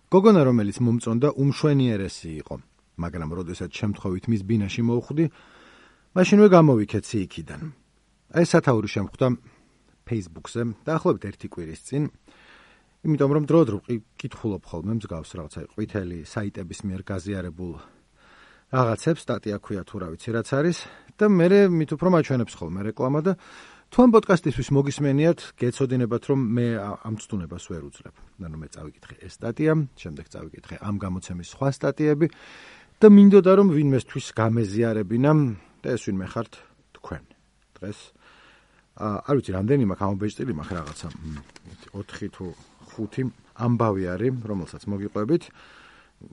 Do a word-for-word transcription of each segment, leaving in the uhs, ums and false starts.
გოგონა, რომელიც მომწონდა, უმშვენიერესი იყო, მაგრამ როდესაც შემთხვევით მის ბინაში მოვხვდი, მაშინვე გამოვიქეცი იქიდან. აი სათაური შემხვდა Facebook-ზე, დაახლოებით ერთი კვირის წინ, იმიტომ რომ დრო-დრო კითხულობ ხოლმე მსგავს რაღაცა ყვითელი საიტების მიერ გაზიარებულ რაღაცებს, სტატია ქვია თუ რა ვიცი რაც არის და მე მით უფრო მაჩვენებს ხოლმე რეკლამა და თუ ამ პოდკასტისთვის მოგისმენიათ, გეცოდინებათ რომ მე ამ ცდუნებას ვერ უძლებ. ანუ მე წავიკითხე ეს სტატია, შემდეგ წავიკითხე ამ გამოცემის სხვა სტატიები და მინდოდა რომ ვინმესთვის გამეზიარებინა და ეს ვინმე ხართ თქვენ. დღეს არ ვიცი რამდენი მაქვს ამობეჭდილი მაქვს რაღაცა ოთხი თუ ხუთი ამბავი არის, რომელსაც მოგიყვებით,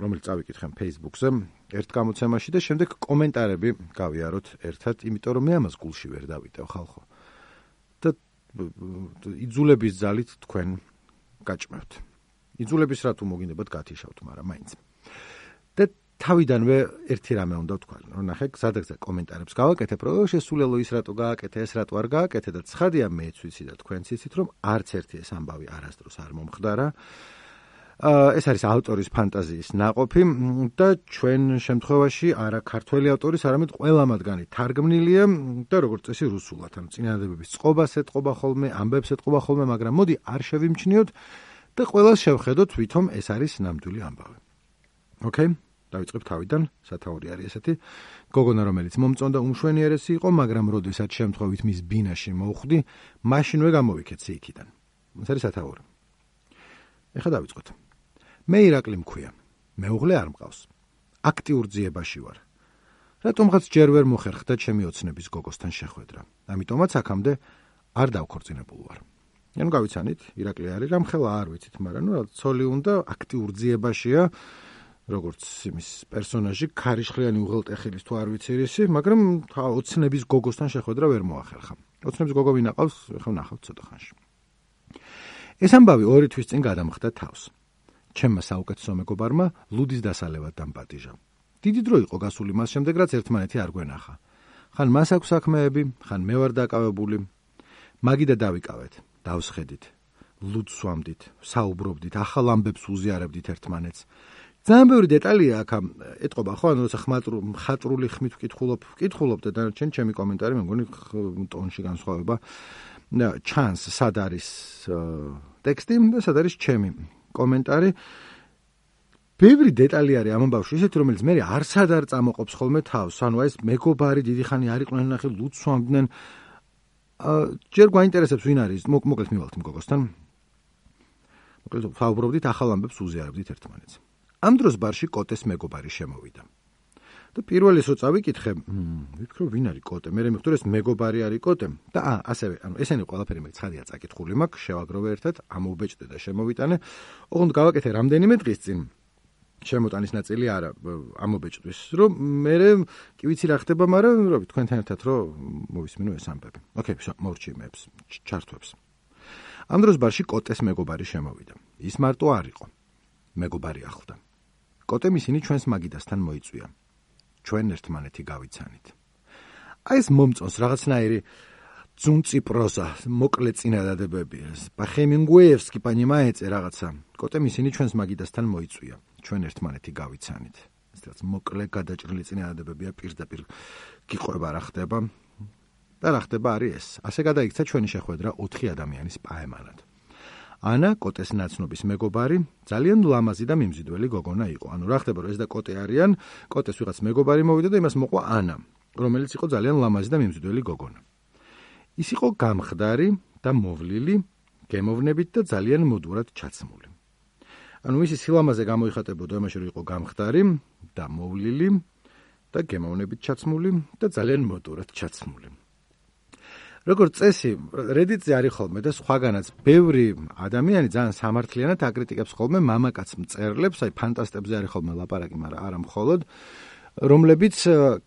რომელიც წავიკითხე Facebook-ზე ერთ გამოცემაში და შემდეგ კომენტარები გავიაროთ ერთად, იმიტომ რომ მე ამას გულში ვერ დავიტევ ხალხო. და იძულების ძალით თქვენ გაჭმევთ. იძულების რა თუ მოგინდებათ გათიშავთ, მაგრამ მაინც. და თავიდანვე ერთი რამე უნდა ვთქვა, რომ ნახე, გზადაგზა კომენტარებს გავაკეთებ, რომ შესულელო ის რატო გააკეთე, ეს რატო არ გააკეთე და ცხადია მეც ვიცი და თქვენც იცით, რომ არც ერთი ეს ამბავი არასდროს არ მომხდარა. ეს არის ავტორის ფანტაზიის ნაყოფი და ჩვენ შემთხვევაში არა ქართველი ავტორის, არამედ ყველა მათგანი თარგმნილია და როგორც წესი რუსულად, ანუ წინადადებების წყობას ეთყობა ხოლმე, ამბებს ეთყობა ხოლმე, მაგრამ მოდი არ შევიმჩნიოთ და ყველას შევხედოთ, ვითომ ეს არის ნამდვილი ამბავი. ოკეი? დავიწყებ თავიდან, სათაური არის ესეთი. გოგონა, რომელიც მომწონდა, უმშვენიერესი იყო, მაგრამ როდესაც შემთხვევით მის ბინაში მოვხვდი, მაშინვე გამოვიქეცი იქიდან. ეს არის სათაური. ეხლა დავიწყოთ. მე ირაკლი მქვია. მეუღლე არ მყავს. აქტიურ ძიებაში ვარ. რატომღაც ჯერ ვერ მოხერხდა ჩემი ოცნების გოგოსთან შეხვედრა. ამიტომაც აქამდე არ დავქორწინებულ ვარ. ანუ გავიცანით, ირაკლი არის რამხელა არ ვიცით, მაგრამ ნუ ცოლი უნდა აქტიურ ძიებაშია, როგორც იმის პერსონაჟი, ქარიშხლიანი უღელტეხილის თუ არ ვიცი რისი, მაგრამ ოცნების გოგოსთან შეხვედრა ვერ მოახერხა. ოცნების გოგო ვინ aqავს, ახლა ვნახავთ ცოტა ხანში. ეს ამბავი ორი თვის წინ გადამხდა თავს. ჩემმა საუკეთესო მეგობარმა ლუდის დასალევად დამპატიჟა. დიდი დრო იყო გასული მას შემდეგ, რაც ერთმანეთი არ გვენახა. ხან მას აქვს საქმეები, ხან მე ვარ დაკავებული. მაგიდა დავიკავეთ, დავსხედით, ლუდს ვამდით, საუბრობდით, ახალ ამბებს უზიარებდით ერთმანეთს. ძალიან ბევრი დეტალია აქ ეტყობა, ხო, ანუ როცა ხატრული ხმით ვკითხულობ, ვკითხულობ და დანარჩენ ჩემი კომენტარი მე მგონი ტონში განსხვავება ჩანს, სად არის ტექსტი და სად არის ჩემი კომენტარი. ბევრი დეტალი არის ამ ამბავში, ისეთი, რომელიც მე არსად არ წამოყოფს ხოლმე თავს. ანუ ეს მეგობარი დიდი ხანი არ იყვნენ ნახე, ლუდს ვამდნენ. ჯერ გვაინტერესებს ვინ არის, მოკლედ მივალთ იმ გოგოსთან. მოკლედ საუბრობდით, ახალ ამბებს უზიარებდით ერთმანეთს. ამ დროს ბარში კოტეს მეგობარი შემოვიდა. და პირველ ის რო წავიკითხე, ვიფიქრე ვინ არის კოტე, მე მივხვდი ეს მეგობარი არის კოტე და ა ასევე, ანუ ესენი ყველაფერი მე ცხადია წაკითხული მაქვს, შევაგროვე ერთად, ამოვბეჭდე და შემოვიტანე. ოღონდ გავაკეთე რამდენიმე დღის წინ. შემოტანის ნაწილი არა ამობეჭდვის, რომ მე კი ვიცი რა ხდება, მაგრამ რა ვიცი, თქვენთან ერთად რო მოვისმინო ეს ამბები. ოკეი, მოვრჩი მეებს, ჩართვებს. ამ დროს ბარში კოტეს მეგობარი შემოვიდა. ის მარტო არ იყო. მეგობარი ახლდა. კოტემ ისინი ჩვენს მაგიდასთან მოიწვია. ჩვენ ერთმანეთი გავიცანით. აი ეს მომწონს რაღაცნაირი ძუნწი პროზა, მოკლე წინადადებები. Хемингუეევსკი პანიმაეწე რაღაცა. კოტემ ისინი ჩვენს მაგიდასთან მოიწვია. ჩვენ ერთმანეთი გავიცანით. ეს რაც მოკლე გადაჭრილი წინადადებებია, პირდაპირ გიყვება რა ხდება. და რა ხდება არის ეს. ასე გადაიქცა ჩვენი შეხვედრა ოთხი ადამიანის პაემანად. ანა, კოტეს ნაცნობის მეგობარი, ძალიან ლამაზი და მიმზიდველი გოგონა იყო. ანუ რა ხდება, რომ ეს და კოტე არიან, კოტეს ვიღაც მეგობარი მოვიდა და იმას მოყვა ანა, რომელიც იყო ძალიან ლამაზი და მიმზიდველი გოგონა. ის იყო გამხდარი და მოვლილი, გემოვნებით და ძალიან მოდურად ჩაცმული. ანუ მისი სილამაზე გამოიხატებოდა იმაში, რომ იყო გამხდარი და მოვლილი და გემოვნებით ჩაცმული და ძალიან მოდურად ჩაცმული. როგორც წესი, Reddit-ზე არის ხოლმე და სხვაგანაც ბევრი ადამიანი ძალიან სამართლიანად აკრიტიკებს ხოლმე მამაკაც მწერლებს, აი ფანტასტებზე არის ხოლმე ლაპარაკი, მაგრამ არა მხოლოდ, რომლებიც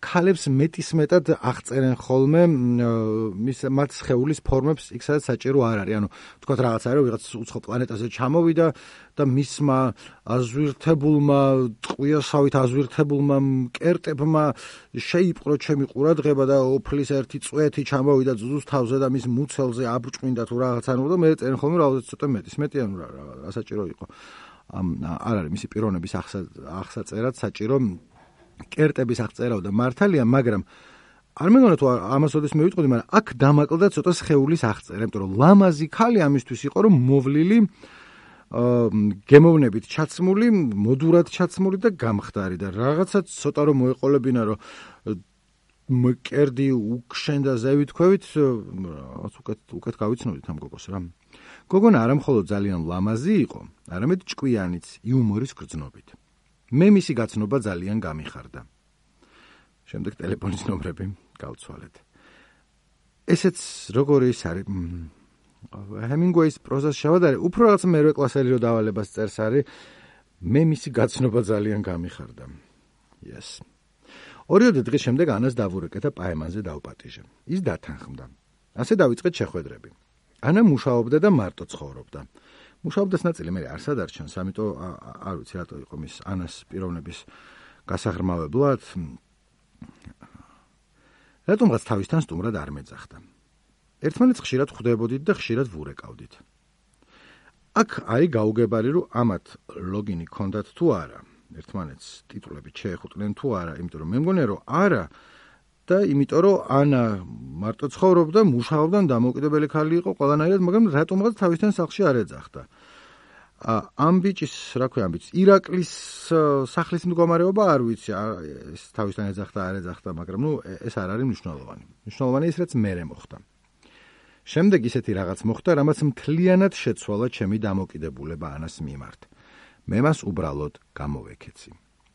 ქალებს მეტისმეტად აღწერენ ხოლმე მის მათ სხეულის ფორმებს, იქ სადაც საჭირო არ არის. ანუ თქვათ რაღაც არის, რომ ვიღაც უცხო პლანეტაზე ჩამოვიდა და მისმა აზვირთებულმა, ტყვიოსავით აზვირთებულმა მკერტებმა შეიპყრო ჩემი ყურადღება და ოფლის ერთი წვეთი ჩამოვიდა ძუძუს თავზე და მის მუცელზე აბრჭყინდა თუ რაღაც, ანუ და მე წერენ ხოლმე რაღაცა ცოტა მეტის მეტი, ანუ რა საჭირო იყო. არ არის მისი პიროვნების აღსაწერად საჭირო კერტების აღწერავდა მართალია, მაგრამ არ მეგონა თუ ამას ოდესმე მივიტყოდი, მაგრამ აქ დამაკლდა ცოტა სხეულის აღწერა, იმიტომ რომ ლამაზი ქალი ამისთვის იყო, რომ მოვლილი გემოვნებით ჩაცმული, მოდურად ჩაცმული და გამხდარი და რაღაცა ცოტა რომ მოეყოლებინა, რომ მკერდი უკშენდა ზევით ქვევით, რაღაც უკეთ უკეთ გავიცნოდით ამ გოგოს რა. გოგონა არა მხოლოდ ძალიან ლამაზი იყო, არამედ ჭკვიანიც, იუმორის გრძნობით. მე მისი გაცნობა ძალიან გამიხარდა. შემდეგ ტელეფონის ნომრები გავცვალეთ. ესეც როგორი ის არის ჰემინგუეის პროზას შევადარე, უფრო რაღაც მერვე კლასელი რო დავალებას წერს არის, მე მისი გაცნობა ძალიან გამიხარდა. Yes. ორიოდე დღის შემდეგ ანას დავურეკეთა პაემანზე დავპატიჟე. ის დათანხმდა. ასე დავიწყეთ შეხვედრები. ანა მუშაობდა და მარტო ცხოვრობდა. მუშაობდას ნაწილი მე არ სადარჩენს, ამიტომ არ ვიცი რატო იყო მის ანას პიროვნების გასაღრმავებლად. რატომღაც თავისთან სტუმრად არ მეძახდა. ერთმანეთს ხშირად ხვდებოდით და ხშირად ვურეკავდით. აქ არის გაუგებარი, რომ ამათ ლოგინი ქონდათ თუ არა. ერთმანეთს ტიტულები შეეხუტნენ თუ არა, იმიტომ რომ მე მგონია რომ არა და იმიტომ რომ ანა მარტო ცხოვრობდა, მუშაობდა, დამოუკიდებელი ქალი იყო ყველანაირად, მაგრამ რატომღაც თავისთან სახლში არ ეძახდა. ამ ბიჭის, რა ქვია, ამ ბიჭის ირაკლის სახლის მდგომარეობა არ ვიცი, ეს თავისთან ეძახდა, არ ეძახდა, მაგრამ ნუ ეს არ არის მნიშვნელოვანი. მნიშვნელოვანი ის, რაც მერე მოხდა. შემდეგ ისეთი რაღაც მოხდა, რამაც მთლიანად შეცვალა ჩემი დამოკიდებულება ანას მიმართ. მე მას უბრალოდ გამოვეკეცი.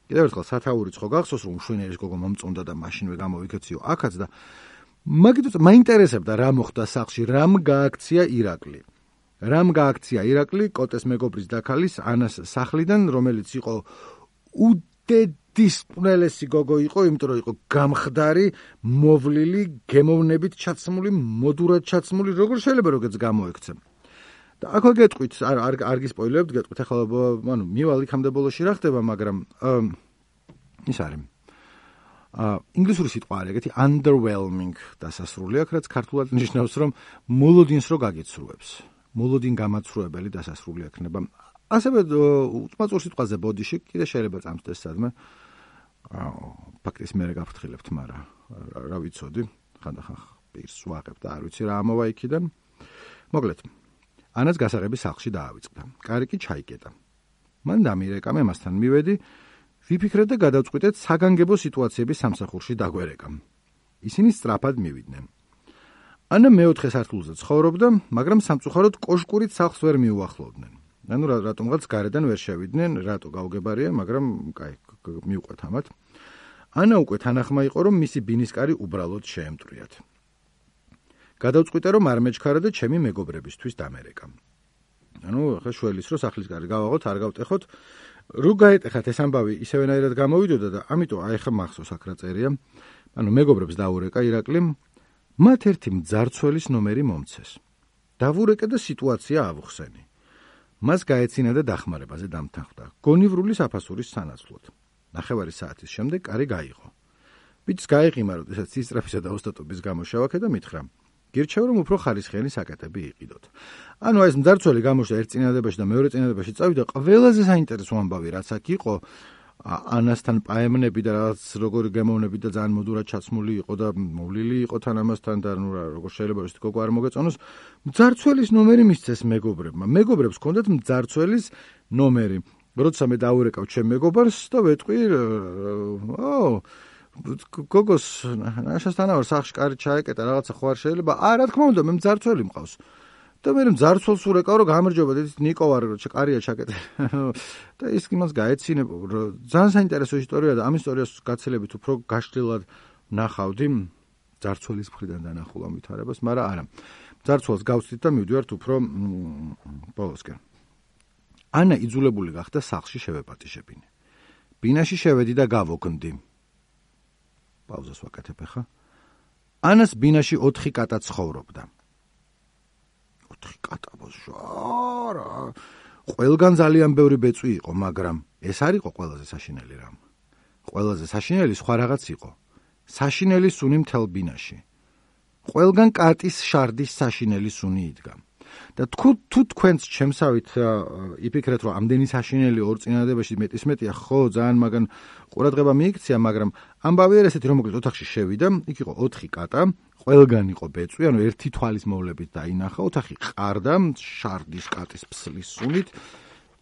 კიდევ ერთხელ სათაურიც ხო გახსოვს, რომ შვენერის გოგო მომწონდა და მაშინვე გამოვიკეციო აქაც და მაგიტო მაინტერესებდა რა მოხდა სახლში, რამ გააქცია ირაკლი. რამ გააქცია ირაკლი კოტეს მეგობრის დაქალის ანას სახლიდან, რომელიც იყო უდედის პნელესი გოგო იყო, იმიტომ რომ იყო გამხდარი, მოვლილი, გემოვნებით ჩაცმული, მოდურად ჩაცმული, როგორ შეიძლება როგეც გამოექცე. და აქ გეტყვით, არ არ არ გისპოილერებთ, გეტყვით ახლა, ანუ მივალ იქამდე ბოლოში რა ხდება, მაგრამ ის არის. აა ინგლისური სიტყვა არის ეგეთი underwhelming დასასრული აქ, რაც ქართულად ნიშნავს, რომ მოლოდინს რო გაგიცრუებს. მოლოდინ გამაცრუებელი დასასრული ექნება. ასევე უწმაწურ სიტყვაზე ბოდიში კიდე შეიძლება წამსდეს სადმე. აა ფაქტის მე გაფრთხილებთ, მაგრამ რა ვიცოდი, ხანდახან პირს ვაღებ და არ ვიცი რა ამოვა იქიდან. მოკლედ ანას გასაღები სახლში დაავიწყდა. კარი კი ჩაიკეტა. მან დამირეკა, მე მასთან მივედი, ვიფიქრეთ და გადავწყვიტეთ საგანგებო სიტუაციების სამსახურში დაგვერეკა. ისინი სწრაფად მივიდნენ. ანა მეოთხე სართულზე ცხოვრობდა, მაგრამ სამწუხაროდ კოშკურით სახლს ვერ მიუახლოვდნენ. ანუ რატომღაც გარედან ვერ შევიდნენ, რატო გაუგებარია, მაგრამ კაი, მივყვეთ ამათ. ანა უკვე თანახმა იყო, რომ მისი ბინისკარი უბრალოდ შეემტვრიათ. გადავწყვიტე, რომ არ მეჩქარა და ჩემი მეგობრებისთვის დამერეკა. ანუ ახლა შველის რო სახლის კარი გავაღოთ, არ გავტეხოთ. რო გაეტეხათ ეს ამბავი ისევენაირად გამოვიდოდა და ამიტომ აი ხა მახსოვს აქ რა წერია. ანუ მეგობრებს დაურეკა ირაკლიმ, მათ ერთი მძარცველის ნომერი მომცეს. დავურეკე და სიტუაცია ავუხსენი. მას გაეცინა და დახმარებაზე დამთანხმდა. გონივრული საფასურის სანაცვლოდ. ნახევარი საათის შემდეგ კარი გაიღო. ბიჭს გაიყიმა, როდესაც სისწრაფისა და ოსტატობის გამო შევაქე და მითხრა: გირჩევ, რომ უფრო ხარისხიანი საკეტები იყიდოთ. ანუ ეს მძარცველი გამოშვა ერთ წინადადებაში და მეორე წინადადებაში წავიდა, ყველაზე საინტერესო ამბავი რაც აქ იყო, ანასთან პაემნები და რაღაც როგორი გემოვნები და ძალიან მოდურად ჩაცმული იყო და მოვლილი იყო თან ამასთან და ნუ რა როგორ შეიძლება ის გოგო არ მოგეწონოს, მძარცველის ნომერი მისცეს მეგობრებმა. მეგობრებს ჰქონდათ მძარცველის ნომერი. როცა მე დაურეკავ ჩემ მეგობარს და ვეტყვი, ო გოგოს ნაშასთანავარ სახლში კარი ჩაეკეტა, რაღაცა ხო არ შეიძლება? აა, რა თქმა უნდა, მე მძარცველი მყავს. და მე მძარცველს ურეკავ, რომ გამარჯობა, დედის ნიკო ვარ, რომ კარია ჩაკეტე. და ის იმას გაეცინებ, ძალიან საინტერესო ისტორია და ამ ისტორიას გაცილებით უფრო გაშლილად ნახავდი მძარცველის მხრიდან დანახულ ამ ვითარებას, მაგრამ არა. მძარცველს გავცდით და მივდივართ უფრო ბოლოსკენ. ანა იძულებული გახდა სახლში შევეპატიჟებინე. ბინაში შევედი და გავოგნდი. პაუზას ვაკეთებ ახლა. ანას ბინაში ოთხი კატა ცხოვრობდა. ოთხი კატა ბოშარა. ყველგან ძალიან ბევრი ბეწვი იყო, მაგრამ ეს არ იყო ყველაზე საშინელი რამ. ყველაზე საშინელი სხვა რაღაც იყო. საშინელი სუნი მთელ ბინაში. ყველგან კატის შარდის საშინელი სუნი იდგა. და თუ თუ თქვენც ჩემსავით იფიქრეთ, რომ ამდენი საშინელი ორ წინადადებაში მეტის მეტია, ხო, ძალიან მაგან ყურადღება მიიქცია, მაგრამ ამბავი არ ესეთი, რომ მოკლედ ოთახში შევიდა, იქ იყო ოთხი კატა, ყველგან იყო ბეწვი, ანუ ერთი თვალის მოვლებით დაინახა, ოთახი ყარდა, შარდის კატის ფსლის სუნით.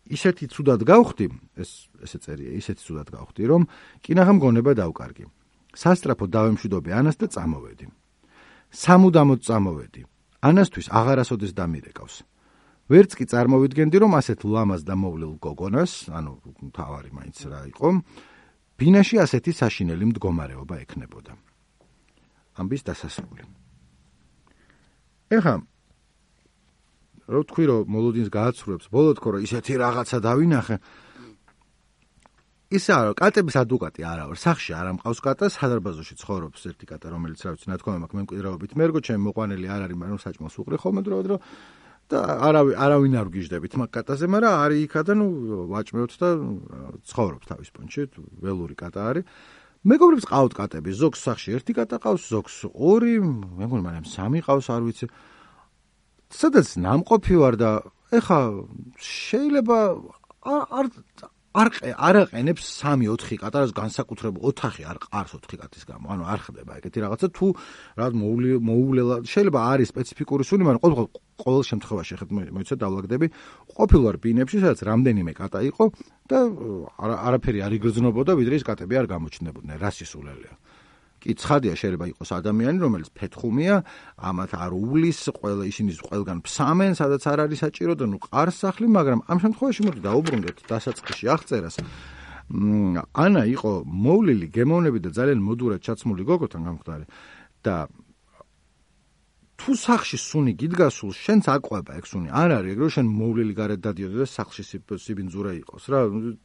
ისეთი ცუდად გავხდი, ეს ესე წერია, ისეთი ცუდად გავხდი, რომ კინაღამ გონება დავკარგი. სასტრაფოდ დავემშვიდობი ანას და წამოვედი. სამუდამოდ წამოვედი. ანასთვის აღარასოდეს დამირეკავს. ვერც კი წარმოვიდგენდი, რომ ასეთ ლამაზ და მოვლილ გოგონას, ანუ თავარი მაინც რა იყო, ბინაში ასეთი საშინელი მდგომარეობა ექნებოდა. ამბის დასასრული. ეხა რო თქვი, რომ მოლოდინს გააცრუებს, ბოლო თქო, რომ ისეთი რაღაცა დავინახე. ისა რა, კატების ადვოკატი არა ვარ, სახში არ ამყავს კატა, სადარბაზოში ცხოვრობს ერთი კატა, რომელიც რა ვიცი, ნათქვამი მაქვს მემკვიდრეობით მერგო, ჩემი მოყვანილი არ არის, მაგრამ საჭმელს უყრი ხოლმე დროდადრო და არავინ არავინ არ ვგიჟდებით მაგ კატაზე, მაგრამ არის იქა და ნუ ვაჭმევთ და ცხოვრობს თავის პონჩი, ველური კატა არის. მეგობრებს ყავთ კატები, ზოგს სახში ერთი კატა ყავს, ზოგს ორი, მე მგონი მაგრამ სამი ყავს, არ ვიცი. სადაც ნამყოფი ვარ და ეხა შეიძლება არ არ არ აყენებს სამი ოთხი კატარას განსაკუთრებულ ოთახი არ ყარს ოთხი კატის გამო. ანუ არ ხდება ეგეთი რაღაცა თუ რა მოუვლელა შეიძლება არის სპეციფიკური სუნი, მაგრამ ყოველ ყოველ შემთხვევაში ხეთ მოიცა დავლაგდები. ყოფილვარ ბინებში, სადაც რამდენიმე კატა იყო და არაფერი არ იგრძნობოდა, ვიდრე ის კატები არ გამოჩნდებოდნენ. რა სისულელეა. კი ცხადია შეიძლება იყოს ადამიანი, რომელიც ფეთხუმია, ამათ არ უვლის, ყველა ისინი ყველგან ფსამენ, სადაც არ არის საჭირო და ნუ ყარს სახლი, მაგრამ ამ შემთხვევაში მოდი დაუბრუნდეთ დასაწყისში აღწერას. ანა იყო მოვლილი, გემოვნები და ძალიან მოდურად ჩაცმული გოგოთან გამხდარი და თუ სახში სუნი გიდგასულ, შენც აყვება ეგ სუნი. არ არის ეგ რომ შენ მოვლილი გარეთ დადიოდი და სახლში სიბინძურა იყოს რა,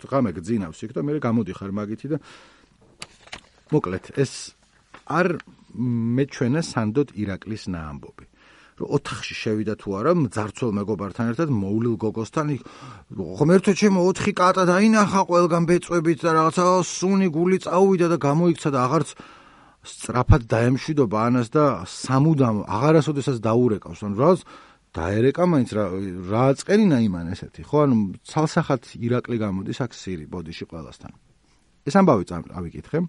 ღამე გძინავს იქ და მე გამოდიხარ მაგითი და მოკლედ ეს არ მეჩვენა სანდოდ ირაკლის ნაამბობი. რომ ოთახში შევიდა თუ არა, მძარცველ მეგობართან ერთად მოვლილ გოგოსთან, ღმერთო ჩემო ოთხი კატა დაინახა ყველგან ბეწვებით და რაღაცა სუნი გული წაუვიდა და გამოიქცა და აღარც სწრაფად დაემშვიდობა ანას და სამუდამ აღარასოდესაც დაურეკავს. ანუ რაღაც დაერეკა მაინც რა რა აწყენინა იმან ესეთი, ხო? ანუ ცალსახად ირაკლი გამოდის აქ სირი ბოდიში ყველასთან. ეს ამბავი ავიკითხე.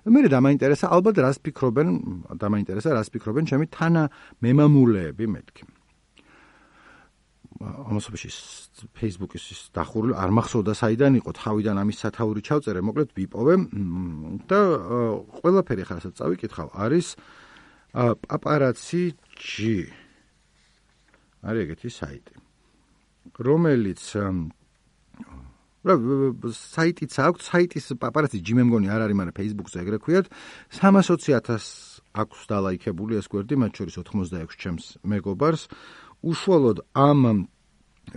მე დამაინტერესა ალბათ რას ფიქრობენ, დამაინტერესა რას ფიქრობენ ჩემი თანა მემამულეები მეთქი. ამასობაში Facebook-ის დახურული არ მახსოვდა საიდან იყო, თავიდან ამის სათაური ჩავწერე, მოკლედ ვიპოვე და ყველაფერი ხარ რასაც წავიკითხავ არის პაპარაცი ჯი. არის ეგეთი საიტი, რომელიც საიტიც აქვს, საიტის პაპარაცი ჯი მე მგონი არ არის, მაგრამ Facebook-ზე ეგრე ქვიათ, სამასოცი ათასი აქვს დალაიქებული ეს გვერდი, მათ შორის ოთხმოცდაექვსი ჩემს მეგობარს. უშუალოდ ამ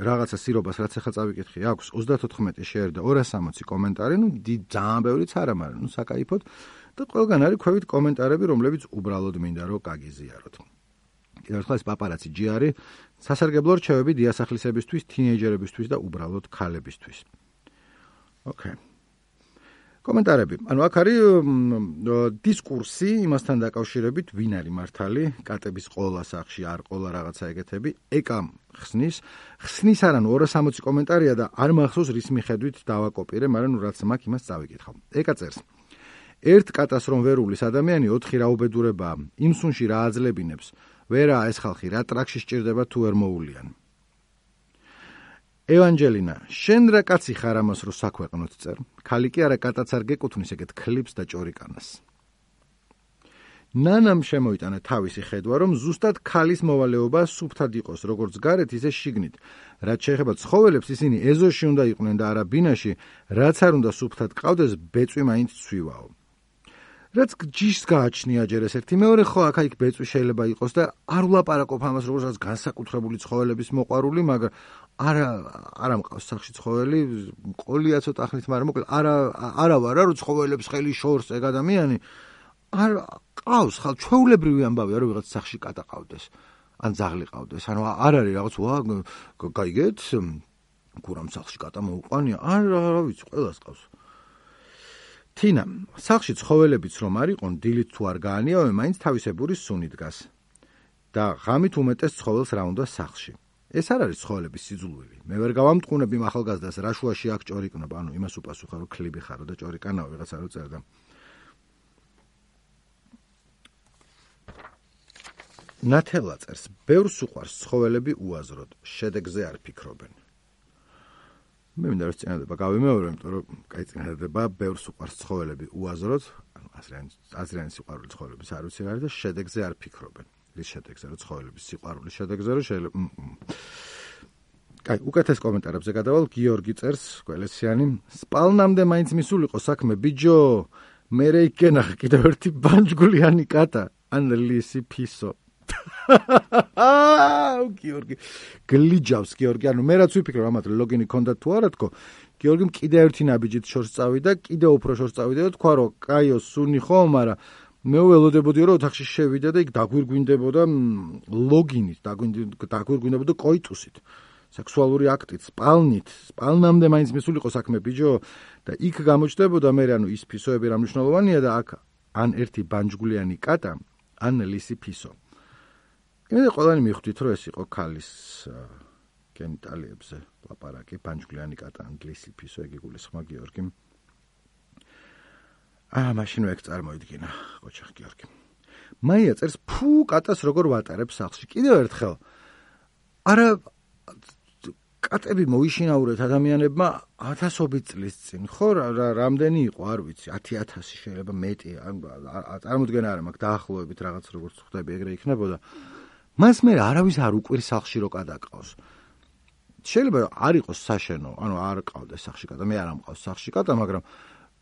რაღაცა სირობას რაც ახლა წავიკითხე, აქვს ოცდათოთხმეტი შეერ და ორასი სამოცი კომენტარი, ну ძალიან ბევრიც არა, მაგრამ ну საკაიფოდ და ყველგან არის ქვევით კომენტარები, რომლებიც უბრალოდ მინდა რომ გაგიზიაროთ. კიდევ ერთხელ ეს პაპარაცი ჯი არის სასარგებლო რჩევები დიასახლისებისთვის, თინეიჯერებისთვის და უბრალოდ ქალებისთვის. ოკეი. კომენტარები. ანუ აქ არის დისკურსი იმასთან დაკავშირებით, ვინ არის მართალი, კატების ყოლა სახში არ ყოლა რაღაცა ეგეთები. ეკა ხსნის, ხსნის არა, ნუ ორასი სამოცი კომენტარია და არ მახსოვს რის მიხედვით დავაკოპირე, მაგრამ ნუ რაც მაქვს იმას წავიკითხავ. ეკა წერს. ერთ კატას რომ ვერ უვლის ადამიანი, ოთხი რა უბედურებაა. იმ სუნში რა აძლებინებს? ვერაა ეს ხალხი, რა ტრაქში სჭირდება თუ ვერ მოულიან. ევანჯელინა, შენ რა კაცი ხარ ამას რო საქვეყნოთ წერ? ქალი კი არა კატაც არ გეკუთვნის ეგეთ ქლიპს და ჭორიკანას. ნანამ შემოიტანა თავისი ხედვა, რომ ზუსტად ქალის მოვალეობა სუფთად იყოს, როგორც გარეთ, ისე შიგნით. რაც შეეხება ცხოველებს, ისინი ეზოში უნდა იყვნენ და არა ბინაში, რაც არ უნდა სუფთად ყავდეს, ბეწვი მაინც ცვივაო. რაც ჯიშს გააჩნია ჯერ ეს ერთი, მეორე ხო აქ იქ ბეწვი შეიძლება იყოს და არ ვლაპარაკობ ამას როგორც განსაკუთრებული ცხოველების მოყვარული, მაგრამ არა არა მყავს სახში ცხოველი, ყოლია ცოტა ხნით, მაგრამ მოკლედ არა არა ვარ რა, რომ ცხოველებს ხელი შორს ეგ ადამიანი არ ყავს, ხალ ჩვეულებრივი ამბავია, რომ ვიღაც სახში კატა ყავდეს, ან ძაღლი ყავდეს. ანუ არ არის რაღაც ვა გაიგეთ, გურამ სახში კატა მოუყვანია, არ რა ვიცი, ყველას ყავს. თინა, სახში ცხოველებიც რომ არ იყონ, დილით თუ არ გაანიავენ, მაინც თავისებური სუნი დგას. და ღამით უმეტეს ცხოველს რა უნდა სახში. ეს არ არის ცხოველების სიძულვილი. მე ვერ გავამტყუნებ იმ ახალგაზრდას, რა შუაში აქ ჭორიკნობა, ანუ იმას უპასუხა, რომ ქლიბი ხარო და ჭორიკანაო ვიღაცა რო წერდა. ნათელა წერს, ბევრს უყვარს ცხოველები უაზროდ, შედეგზე არ ფიქრობენ. მე მინდა რომ წინადადება გავიმეორო, იმიტომ რომ კაი წინადადება ბევრს უყვარს ცხოველები უაზროდ, ანუ აზრიანი აზრიანი სიყვარული ცხოველების არ ვიცი რა არის და შედეგზე არ ფიქრობენ. რის შედეგზე, რომ ცხოველების სიყვარულის შედეგზე, რომ შეიძლება კაი, უკეთეს კომენტარებზე გადავალ, გიორგი წერს, გველესიანი, სპალნამდე მაინც მისულიყო საქმე, ბიჯო, მე რე იქენახ კიდევ ერთი ბანჯგულიანი კატა, ან ლისი ფისო. აუ გიორგი გლიჯავს გიორგი ანუ მე რაც ვიფიქრე ამათ ლოგინი ქონდა თუ არა თქო გიორგიმ კიდე ერთი ნაბიჯით შორს წავიდა კიდე უფრო შორს წავიდა და თქვა რომ კაიო სუნი ხო მაგრამ მე ველოდებოდი რომ ოთახში შევიდა და იქ დაგვირგვინდებოდა ლოგინით დაგვირგვინდებოდა კოიტუსით სექსუალური აქტით სპალნით სპალნამდე მაინც მისულიყო საქმე ბიჯო და იქ გამოჩნდებოდა მე ანუ ის ფისოები რა მნიშვნელოვანია და აქ ან ერთი ბანჯგულიანი კატა ან ლისი ფისო იმედი ყველანი მიხვდით რომ ეს იყო ქალის გენიტალიებზე ლაპარაკი ბანჯგულიანი კატა ან ლისი ფისო ეგ იგულისხმა გიორგიმ აა მაშინ ეგ წარმოიდგინა ოჩახ გიორგი მაია წერს ფუ კატას როგორ ვატარებ სახლში კიდევ ერთხელ არა კატები მოიშინაურეთ ადამიანებმა ათასობით წლის წინ ხო რამდენი იყო არ ვიცი ათი ათასი შეიძლება მეტი წარმოუდგენა არა მაქვს დაახლოებით რაღაც როგორც ხვდები ეგრე იქნებოდა მას მე არავის არ უყვირს სახლში რო კატა ყავს შეიძლება არ იყოს საშენო ანუ არ ყავდეს სახლში კატა მე არ ამყავს სახლში კატა მაგრამ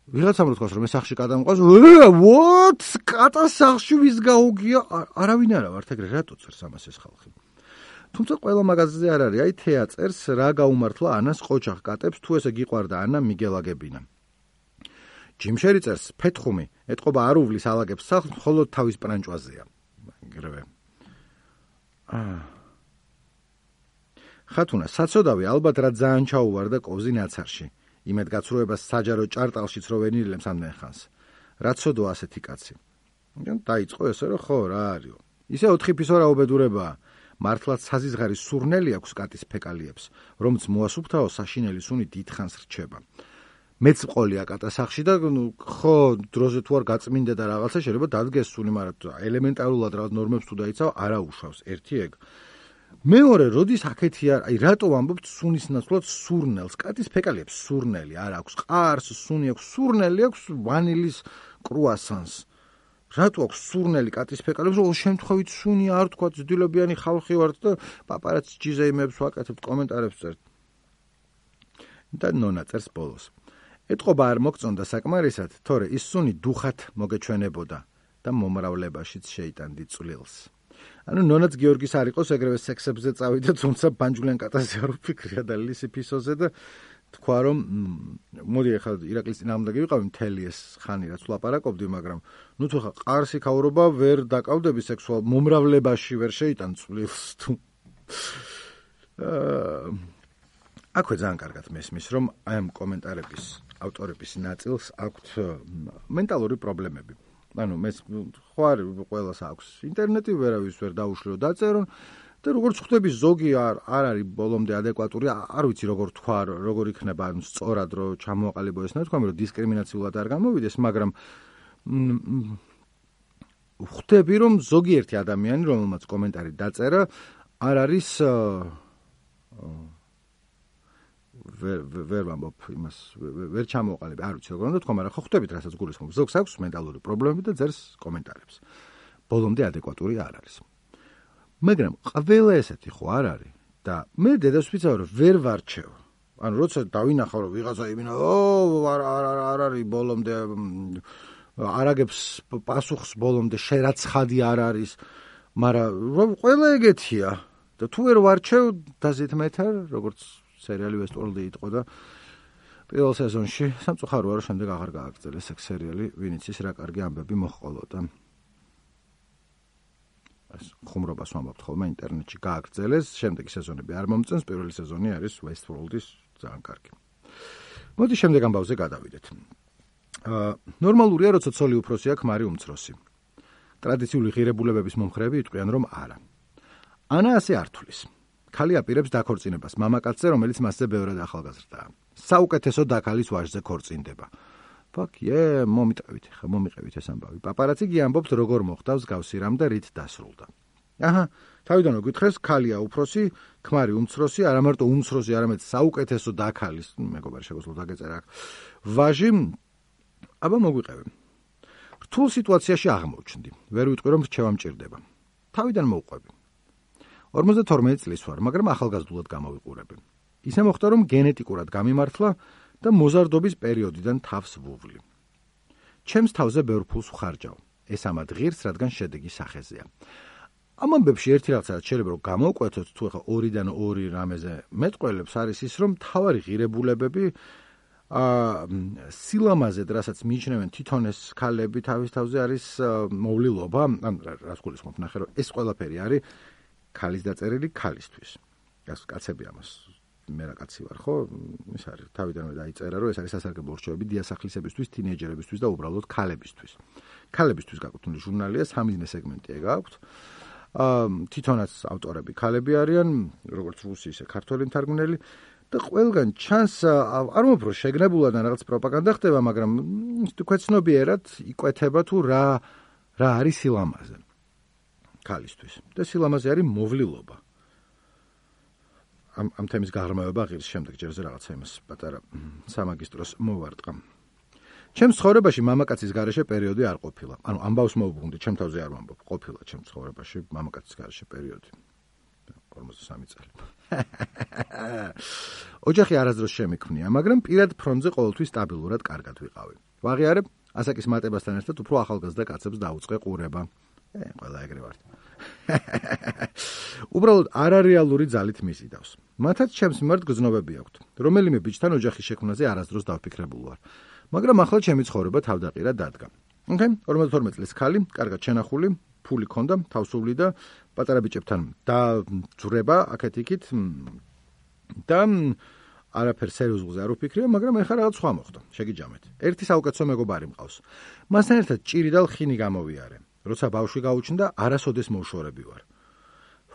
ვიღაცამ რო თქვას რომ მე სახლში კატა მყავს what კატა სახლში ვის გაუგია არავინ არა ვართ ეგრე რატო წერს ამას ეს ხალხი თუმცა ყველა მაგაზზე არ არის აი თეა წერს რა გაუმართლა ანას ყოჩახ კატებს თუ ესე გიყვარდა ანა მიგელაგებინა ჯიმშერი წერს ფეთხუმი ეთყობა არ უვლის ალაგებს სახლს მხოლოდ თავის პრანჭვაზეა ეგრევე აა ხათუნა საწოდავი ალბათ რა ძალიან ჩაუვარდა კოვზი ნაცარში იმედ გაცრუებას საჯარო ჭარტალშიც რო ვენილებს ამდენ ხანს რა ცოდო ასეთი კაცი დაიწყო ესე რომ ხო რა არისო ისე ოთხი ფისო რა უბედურებაა მართლაც საზიზღარის სურნელი აქვს კატის ფეკალიებს რომც მოასუფთავო საშინელი სუნი დიდხანს რჩება მეც ყოლია კატა სახში და ხო დროზე თუ არ გაწმინდა და რაღაცა შეიძლება დადგეს სუნი მაგრამ ელემენტარულად რაღაც ნორმებს თუ დაიცავ არა უშავს ერთი ეგ მეორე როდის აქეთი არ აი რატო ვამბობთ სუნის ნაცვლად სურნელს კატის ფეკალიებს სურნელი არ აქვს ყარს სუნი აქვს სურნელი აქვს ვანილის კრუასანს რატო აქვს სურნელი კატის ფეკალიებს რომ შემთხვევით სუნი არ თქვა ძდილებიანი ხალხი ვართ და პაპარაც ჯიზეიმებს ვაკეთებთ კომენტარებს წერთ და ნონა წერს ბოლოს ეთყობა არ მოგწონდა საკმარისად თორე ის სუნი დუხად მოგეჩვენებოდა და მომრავლებაშიც შეიტანდი წვლილს ანუ ნონაც გიორგის არ იყოს ეგრევე სექსებზე წავიდა თუმცა ბანჯულიან კატაზე არ ვფიქრია და ლისი ფისოზე და თქვა რომ მოდი ახლა ირაკლის წინააღმდეგი ვიყავი მთელი ეს ხანი რაც ვლაპარაკობდი მაგრამ ნუ თუ ხა ყარსი ქაურობა ვერ დაკავდები სექსუალ მომრავლებაში ვერ შეიტან წვლილს თუ აქვე ძალიან კარგად მესმის რომ აი ამ კომენტარების ავტორების ნაწილს აქვთ მენტალური პრობლემები ანუ მე ხო არ ყველას აქვს ინტერნეტი ვერავის ვერ დაუშლიო დაწერონ და როგორც ხვდები ზოგი არ არ არის ბოლომდე ადეკვატური არ ვიცი როგორ თქვა როგორ იქნება ანუ სწორად რომ ჩამოაყალიბო ეს ნათქვამი რომ დისკრიმინაციულად არ გამოვიდეს მაგრამ ხვდები რომ ზოგიერთი ადამიანი რომელმაც კომენტარი დაწერა არ არის ვერ ვამბობ იმას ვერ ჩამოყალიბე არ ვიცი როგორ უნდა თქვა მაგრამ ხო ხვდებით რასაც გულისხმობ ზოგს აქვს მენტალური პრობლემები და წერს კომენტარებს ბოლომდე ადეკვატური არ არის მაგრამ ყველა ესეთი ხო არ არის და მე დედას ვიცავ რომ ვერ ვარჩევ ანუ როცა დავინახავ რომ ვიღაცა იმინა ო არ არ არ არის ბოლომდე არაგებს პასუხს ბოლომდე შერაცხადი არ არის მაგრამ ყველა ეგეთია და თუ ვერ ვარჩევ დაზეთ მეტარ როგორც სერიალი Westworld-ი იყო და პირველ სეზონში სამწუხაროა რომ შემდეგ აღარ გააგრძელეს ეს სერიალი ვინც ის რა კარგი ამბები მოჰყოლოდა ეს ხუმრობას ვამბობთ ხოლმე ინტერნეტში გააგრძელეს შემდეგი სეზონები არ მომწონს პირველი სეზონი არის Westworld-ის ძალიან კარგი მოდი შემდეგ ამბავზე გადავიდეთ აა ნორმალურია როცა ცოლი უფროსია ქმარი უმცროსი ტრადიციული ღირებულებების მომხრეები იტყვიან რომ არა ანა ასე არ თulis ქალი აპირებს დაქორწინებას მამაკაცზე, რომელიც მასზე ბევრად ახალგაზრდაა. საუკეთესო დაქალის ვაჟზე ქორწინდება. ფაქიე, მომიტყევით, ხა მომიყევით ეს ამბავი. პაპარაცი კი ამბობს, როგორ მოხდა მსგავსი რამ და რით დასრულდა. აჰა, თავიდან მოგვითხრეს, ქალია უფროსი, ქმარი უმცროსი, არა მარტო უმცროსი, არამედ საუკეთესო დაქალის, მეგობარი შეგვიძლია დაგეწერა აქ. ვაჟი, აბა მოგვიყევი. რთულ სიტუაციაში აღმოჩნდი. ვერ ვიტყვი რომ რჩევა მჭირდება. თავიდან მოვყვები. ორმოცდათორმეტი წლის ვარ, მაგრამ ახალგაზრდულად გამოვიყურები. ისე მოხდა რომ გენეტიკურად გამიმართლა და მოზარდობის პერიოდიდან თავს ვუვლი. ჩემს თავზე ბევრ ფულს ვხარჯავ. ეს ამად ღირს, რადგან შედეგი სახეზეა. ამ ამბებში ერთი რაღაცა შეიძლება რომ გამოვკვეთოთ, თუ ახლა ორიდან ორი რამეზე მეტყველებს არის ის, რომ თავარი ღირებულებები აა სილამაზედ, რასაც მიიჩნევენ თვითონ ეს ქალები თავის თავზე არის მოვლილობა, ან რას გულისხმობ, ნახე რომ ეს ყველაფერი არის ქალის დაწერილი ქალისთვის. ეს კაცები ამას მე რა კაცი ვარ, ხო? ეს არის თავიდანვე დაიწერა, რომ ეს არის სასარგებლო რჩევები დიასახლისებისთვის, თინეიჯერებისთვის და უბრალოდ ქალებისთვის. ქალებისთვის გაკუთვნილი ჟურნალია, სამიზნე სეგმენტი ეგ აქვს. აა თვითონაც ავტორები ქალები არიან, როგორც რუსი, ისე ქართველი მთარგმნელი. და ყველგან ჩანს არ მომფრო შეგნებულად ან რაღაც პროპაგანდა ხდება, მაგრამ თქუეცნობიერად იკვეთება თუ რა რა არის სილამაზე ქალისთვის. და სილამაზე არის მოვლილობა. ამ ამ თემის გაღრმავება ღირს შემდეგ ჯერზე რაღაცა იმას პატარა სამაგისტროს მოვარტყა. ჩემს ცხოვრებაში მამაკაცის გარეშე პერიოდი არ ყოფილა. ანუ ამბავს მოვუბრუნდი, ჩემ თავზე არ ვამბობ, ყოფილა ჩემს ცხოვრებაში მამაკაცის გარეშე პერიოდი. ორმოცდასამი წელი. ოჯახი არასდროს შემიქმნია, მაგრამ პირად ფრონტზე ყოველთვის სტაბილურად კარგად ვიყავი. ვაღიარებ, ასაკის მატებასთან ერთად უფრო ახალგაზრდა კაცებს დაუწყე ყურება. ე, ყველა ეგრე ვართ. უბრალოდ არარეალური ძალით მიზიდავს. მათაც ჩემს მიმართ გრძნობები აქვთ. რომელიმე ბიჭთან ოჯახის შექმნაზე არასდროს დავფიქრებულ ვარ. მაგრამ ახლა ჩემი ცხოვრება თავდაყირა დადგა. ოკეი, ორმოცდათორმეტი წლის ქალი, კარგად შენახული, ფული ქონდა, თავსული და პატარა ბიჭებთან დაძვრება აქეთ-იქით და არაფერ სერიოზულზე არ ვფიქრია, მაგრამ ეხლა რაღაც სხვა მოხდა. შეგიჯამეთ. ერთი საუკეთესო მეგობარი მყავს. მასთან ერთად ჭირი და ლხინი გამოვიარე. როცა ბავშვი გაუჩნდა, არასოდეს მოუშორები ვარ.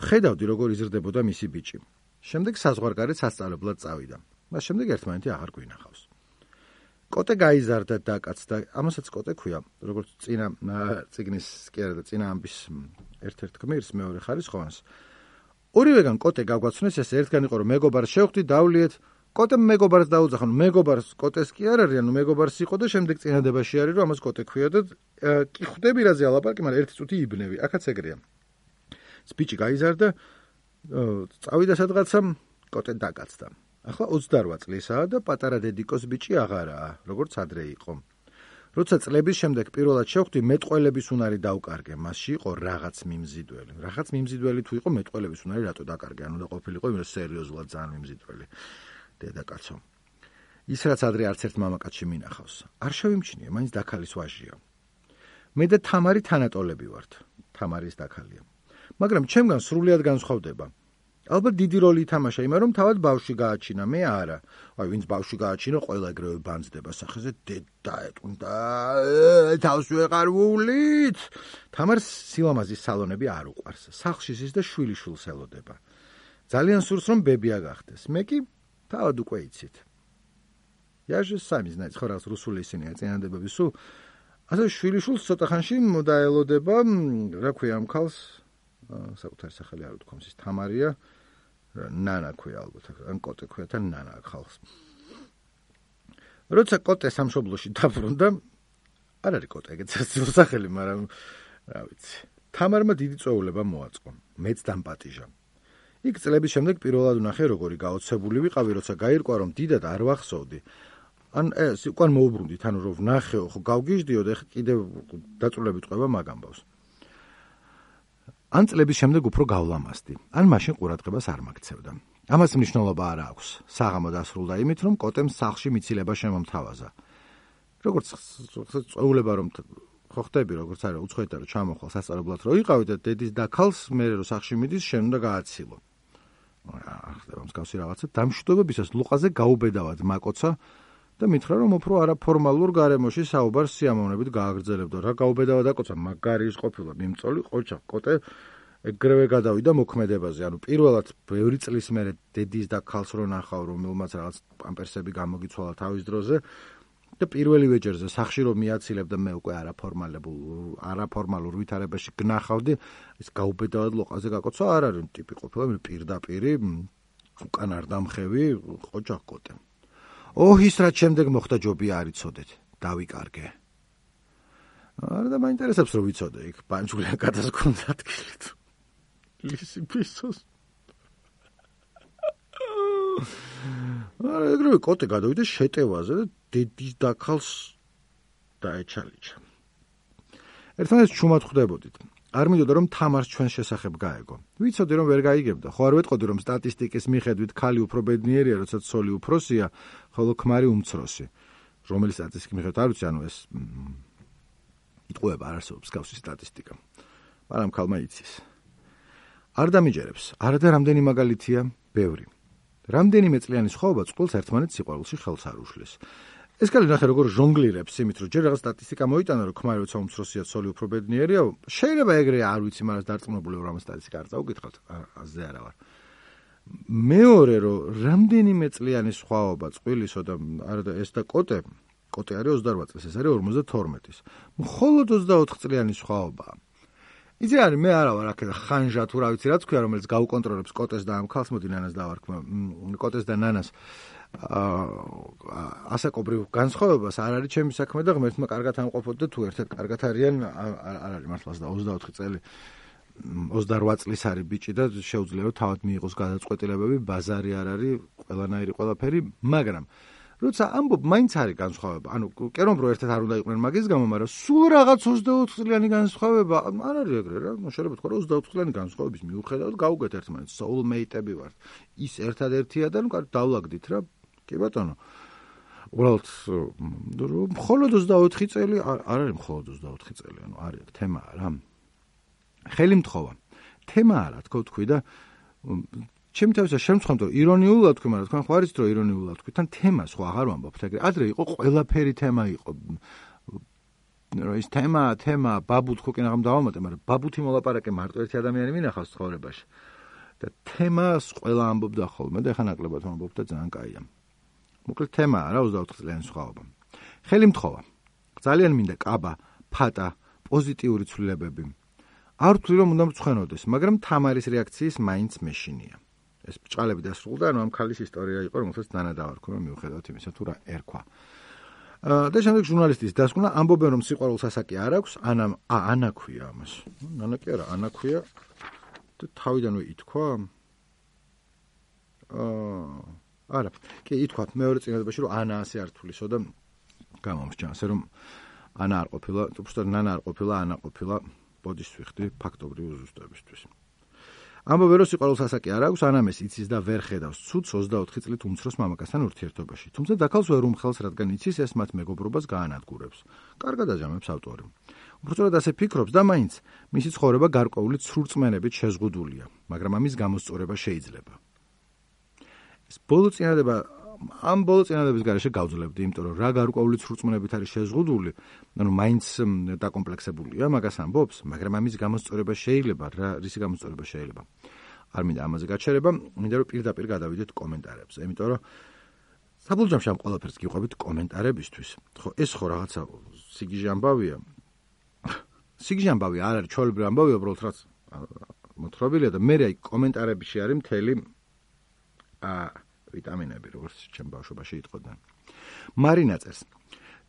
ხედავდი, როგორ იზრდებოდა მისი ბიჭი. შემდეგ საზღვარგარეთ სასწავლებლად წავიდა. მას შემდეგ ერთმანეთი აღარ გვინახავს. კოტე გაიზარდა და კაცდა, ამასაც კოტე ქვია, როგორც წინა წიგნის კი არა და წინა ამბის ერთ-ერთ გმირს მეორე ხარისხოვანს. ორივეგან კოტე გაგვაცნეს, ეს ერთგან იყო რომ მეგობარს შევხვდი, დავლიეთ, კოტემ მეგობარს დაუძახა, ნუ მეგობარს კოტეს კი არ არის, ანუ მეგობარს იყო და შემდეგ წინადებაში არის, რომ ამას კოტე ქვია და კი ხვდები რაზე ალაპარაკი, მაგრამ ერთი წუთი იბნევი, აქაც ეგრეა. ბიჭი გაიზარდა, წავიდა სადღაცა, კოტე დაკაცდა. ახლა ოცდარვა წლისაა და პატარა დედიკოს ბიჭი აღარაა, როგორც ადრე იყო. როცა წლების შემდეგ პირველად შევხვდი, მეტყველების უნარი დავკარგე, მასში იყო რაღაც მიმზიდველი. რაღაც მიმზიდველი თუ იყო მეტყველების უნარი რატო დაკარგე? ანუ და ყოფილიყო იმ სერიოზულად ძალიან მიმზიდველი. დედაკაცო. ის რაც ადრე არც ერთ მამაკაცში მინახავს. არ შევიმჩნია, მაინც დაქალის ვაჟია. მე და თამარი თანატოლები ვართ. თამარის დაქალია. მაგრამ ჩემგან სრულიად განსხვავდება. ალბათ დიდი როლი ითამაშა იმან, რომ თავად ბავშვი გააჩინა, მე არა. აი, ვინც ბავშვი გააჩინა, ყველა ეგრევე ბანძდება სახეზე, დედა ეტყუნდა, თავს ვეღარ ვუვლით. თამარს სილამაზის სალონები არ უყვარს. სახლში ზის და შვილიშვილს ელოდება. ძალიან სურს, რომ ბებია გახდეს. მე კი თავად უკვე იცით. Я же сами знаете, ხო რაღაც რუსული ისინია წინადებები სულ. ასე შვილიშვილს ცოტა ხანში დაელოდება, რა ქვია ამ ქალს? საკუთარი სახელი არ ვთქვამს, ის თამარია, ნანა ქვია ალბათ, ან კოტე ქვია თან ნანა ხალხს. როცა კოტე სამშობლოში დაბრუნდა, არ არის კოტე ეგეც სახელი, მაგრამ რა ვიცი. თამარმა დიდი წვეულება მოაწყო, მეც დამპატიჟა. იქ წლების შემდეგ პირველად ვნახე, როგორი გაოცებული ვიყავი, როცა გაირკვა, რომ დიდად არ ვახსოვდი. ან ეს უკან მოუბრუნდით, ანუ რომ ვნახეო, ხო გავგიჟდიო და კიდევ დაწვრილებით ყვება მაგ ამბავს. ან წლების შემდეგ უფრო გავლამაზდი, ან მაშინ ყურადღებას არ მაგცევდა. ამას მნიშვნელობა არ აქვს. საღამო დასრულდა იმით, რომ კოტემ სახლში მიცილება შემომთავაზა. როგორც წვეულება რომ ხო ხდები, როგორც არა უცხოეთთან რომ ჩამოხვალ სასწავლებლად რომ იყავი და დედის დაქალს მე რომ სახლში მიდის, შენ უნდა გააცილო. აა ხდება მსგავსი რაღაცა. დამშვიდობებისას ლუყაზე გაუბედავად მაკოცა და მითხრა რომ უფრო არაფორმალურ გარემოში საუბარს სიამოვნებით გააგრძელებდა. რა გაუბედავა დაკოცა, მაგარი ის ყოფილა, მიმწოლი ყოჩა, კოტე ეგრევე გადავიდა მოქმედებაზე. ანუ პირველად ბევრი წლის მერე დედის და ქალს რო ნახავ, რომელმაც რაღაც პამპერსები გამოგიცვალა თავის დროზე და პირველივე ჯერზე სახში რომ მიაცილებდა მე უკვე არაფორმალებულ არაფორმალურ ვითარებაში გნახავდი, ის გაუბედავად ლოყაზე გაკოცვა არ არის ტიპი ყოფილა, მე პირდაპირი უკან არ დამხევი ოჯახ კოტე. ოჰის რაც შემდეგ მოხდა ჯობი არ იცოდეთ, დავიკარგე. არა და მაინტერესებს რომ ვიცოდე იქ პანჯულიან გადასკონდა ადგილით. ლისი პისოს. არა ეგრევე კოტე გადავიდა შეტევაზე და დედის და ქალს დაეჩალიჩა. ერთმანეთს ჩუმად ხვდებოდით. არ მინდოდა რომ თამარს ჩვენს შესახებ გაეგო. ვიცოდი რომ ვერ გაიგებდა. ხო არ ვეტყოდი რომ სტატისტიკის მიხედვით ქალი უფრო ბედნიერია, როცა ცოლი უფროსია, ხოლო ქმარი უმცროსი. რომელი სტატისტიკის მიხედვით არ ვიცი, ანუ ეს იტყუება არ არსებობს გავსი სტატისტიკა. მაგრამ ქალმა იცის. არ დამიჯერებს. არადა რამდენი მაგალითია, ბევრი. რამდენიმე წლიანი სხვაობა წყვილს ერთმანეთს სიყვარულში ხელს არ უშლის. ეს კალი ნახე როგორ ჟონგლირებს იმით, რომ ჯერ რაღაც სტატისტიკა მოიტანა, რომ ქმარი როცა უმცროსია, ცოლი უფრო ბედნიერია. შეიძლება ეგრე არ ვიცი, მაგრამ დარწმუნებული ვარ, რომ სტატისტიკა არ წაუკითხავთ, აზე არა ვარ. მეორე რომ რამდენიმე წლიანი სხვაობა წყვილისო და არა ეს და კოტე, კოტე არის ოცდაორ წლის, ეს არის ორმოცდათორმეტის. მხოლოდ ოცდაოთხ წლიანი სხვაობაა. იცი არის მე არა ვარ აქ ხანჟა თუ რა ვიცი რა თქვია, რომელიც გაუკონტროლებს კოტეს და ამ ქალს, მოდი ნანას დავარქვა, კოტეს და ნანას ასაკობრივ განსხვავებას არ არის ჩემი საქმე და ღმერთმა კარგად ამყოფოთ და თუ ერთად კარგად არიან არ არის მართლაც და ოცდაოთხი წელი ოცდაორ წლის არის ბიჭი და შეუძლია რომ თავად მიიღოს გადაწყვეტილებები, ბაზარი არ არის, ყველანაირი ყველაფერი, მაგრამ როცა ამბობ მაინც არის განსხვავება. ანუ კი რომ ერთად არ უნდა იყვნენ მაგის გამო, მაგრამ სულ რაღაც ოცდაოთხ წლიანი განსხვავება არ არის ეგრე რა. შეიძლება თქვა რომ ოცდაოთხ წლიანი განსხვავების მიუხედავად გაუგეთ ერთმანეთს, soulmate-ები ვართ. ის ერთადერთია და ნუ დავლაგდით რა. კი ბატონო. უბრალოდ მხოლოდ ოცდაოთხი წელი არ არის მხოლოდ ოცდაოთხი წელი, ანუ არის თემაა რა. ხელი მთხოვა. თემა არა, თქო თქვი და ჩემი თავისა შემცხამთ რომ ირონიულად თქვი, მაგრამ თქვენ ხო არიცით რომ ირონიულად თქვი, თან თემა სხვა აღარ ვამბობთ ეგრე. ადრე იყო ყველაფერი თემა იყო. რომ ის თემა, თემა, ბაბუ თქვი კი ნაღამ დავამატე, მაგრამ ბაბუთი მოლაპარაკე მარტო ერთი ადამიანი მინახავს ცხოვრებაში. და თემას ყველა ამბობდა ხოლმე და ეხა ნაკლებად ამბობ და ძალიან კაია. მოკლედ თემაა რა ოცდაოთხ წლიანი სხვაობა. ხელი მთხოვა. ძალიან მინდა კაბა, ფატა, პოზიტიური ცვლილებები. არ ვთვლი რომ უნდა მწვენოდეს, მაგრამ თამარის რეაქციის მაინც მეშინია. ეს ბჭყალები დასრულდა, ანუ ამ ქალის ისტორია იყო, რომელსაც ნანა დავარქვა, მიუხედავად იმისა, თუ რა ერქვა. და შემდეგ ჟურნალისტის დასკვნა ამბობენ, რომ სიყვარულს ასაკი არ აქვს, ანა ა ანა ქვია ამას. ნანა კი არა, ანა ქვია და თავიდანვე ითქვა. აა არა, კი ითქვა მეორე წინადობაში, რომ ანა ასე არ თვლისო და გამომსჭა, ასე რომ ანა არ ყოფილა, უბრალოდ ნანა არ ყოფილა, ანა ყოფილა. ბოდის ვიხდი ფაქტობრივი ზუსტებისთვის. ამბობენ რომ სიყვარულს ასაკი არ აქვს, ანამეს იცის და ვერ ხედავს ცუდს ოცდაოთხი წლით უმცროს მამაკაცთან ურთიერთობაში. თუმცა დაქალს ვერ უმხელს, რადგან იცის ეს მათ მეგობრობას გაანადგურებს. კარგად აჯამებს ავტორი. უბრალოდ ასე ფიქრობს და მაინც მისი ცხოვრება გარკვეული ცრურწმენებით შეზღუდულია, მაგრამ ამის გამოსწორება შეიძლება. ეს ბოლო წინადება ამ ბოლო წინადების გარეშე გავძლებდი, იმიტომ რომ რა გარკვეული ცრურწმენებით არის შეზღუდული, ანუ მაინც დაკომპლექსებულია მაგას ამბობს, მაგრამ ამის გამოსწორება შეიძლება, რა რისი გამოსწორება შეიძლება. არ მინდა ამაზე გაჩერება, მინდა რომ პირდაპირ გადავიდეთ კომენტარებზე, იმიტომ რომ საბოლოო ამ ყველაფერს გიყვებით კომენტარებისთვის. ხო, ეს ხო რაღაცა სიგიჟე ამბავია. სიგიჟე ამბავი არ არის, ჩვეულებრივი ამბავია, უბრალოდ რაც მოთხრობილია და მე აი კომენტარებში არის მთელი აა ვიტამინები, როგორც ჩემ ბავშვობაში იტყოდნენ. მარინა წერს.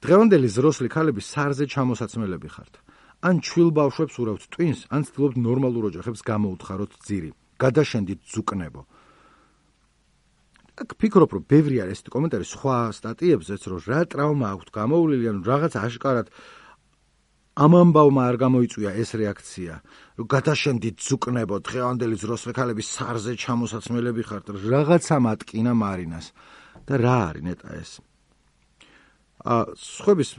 დღევანდელი ზროსლი ქალები სარზე ჩამოსაცმელები ხართ. ან ჩვილ ბავშვებს ურავთ ტვინს, ან ცდილობთ ნორმალურ ოჯახებს გამოუთხაროთ ძირი. გადაშენდით ზუკნებო. აქ ფიქრობ, რომ ბევრი არის ესეთი კომენტარი სხვა სტატიებზეც, რომ რა ტრავმა აქვს გამოვლილი, ანუ რაღაც აშკარად ამ ამბავმა არ გამოიწვია ეს რეაქცია, რომ გადაშენდით ზუკნებო, დღევანდელი ზროსლი ქალები სარზე ჩამოსაცმელები ხართ, რაღაცა მატკინა მარინას. და რა არის ნეტა ეს? აა სხვების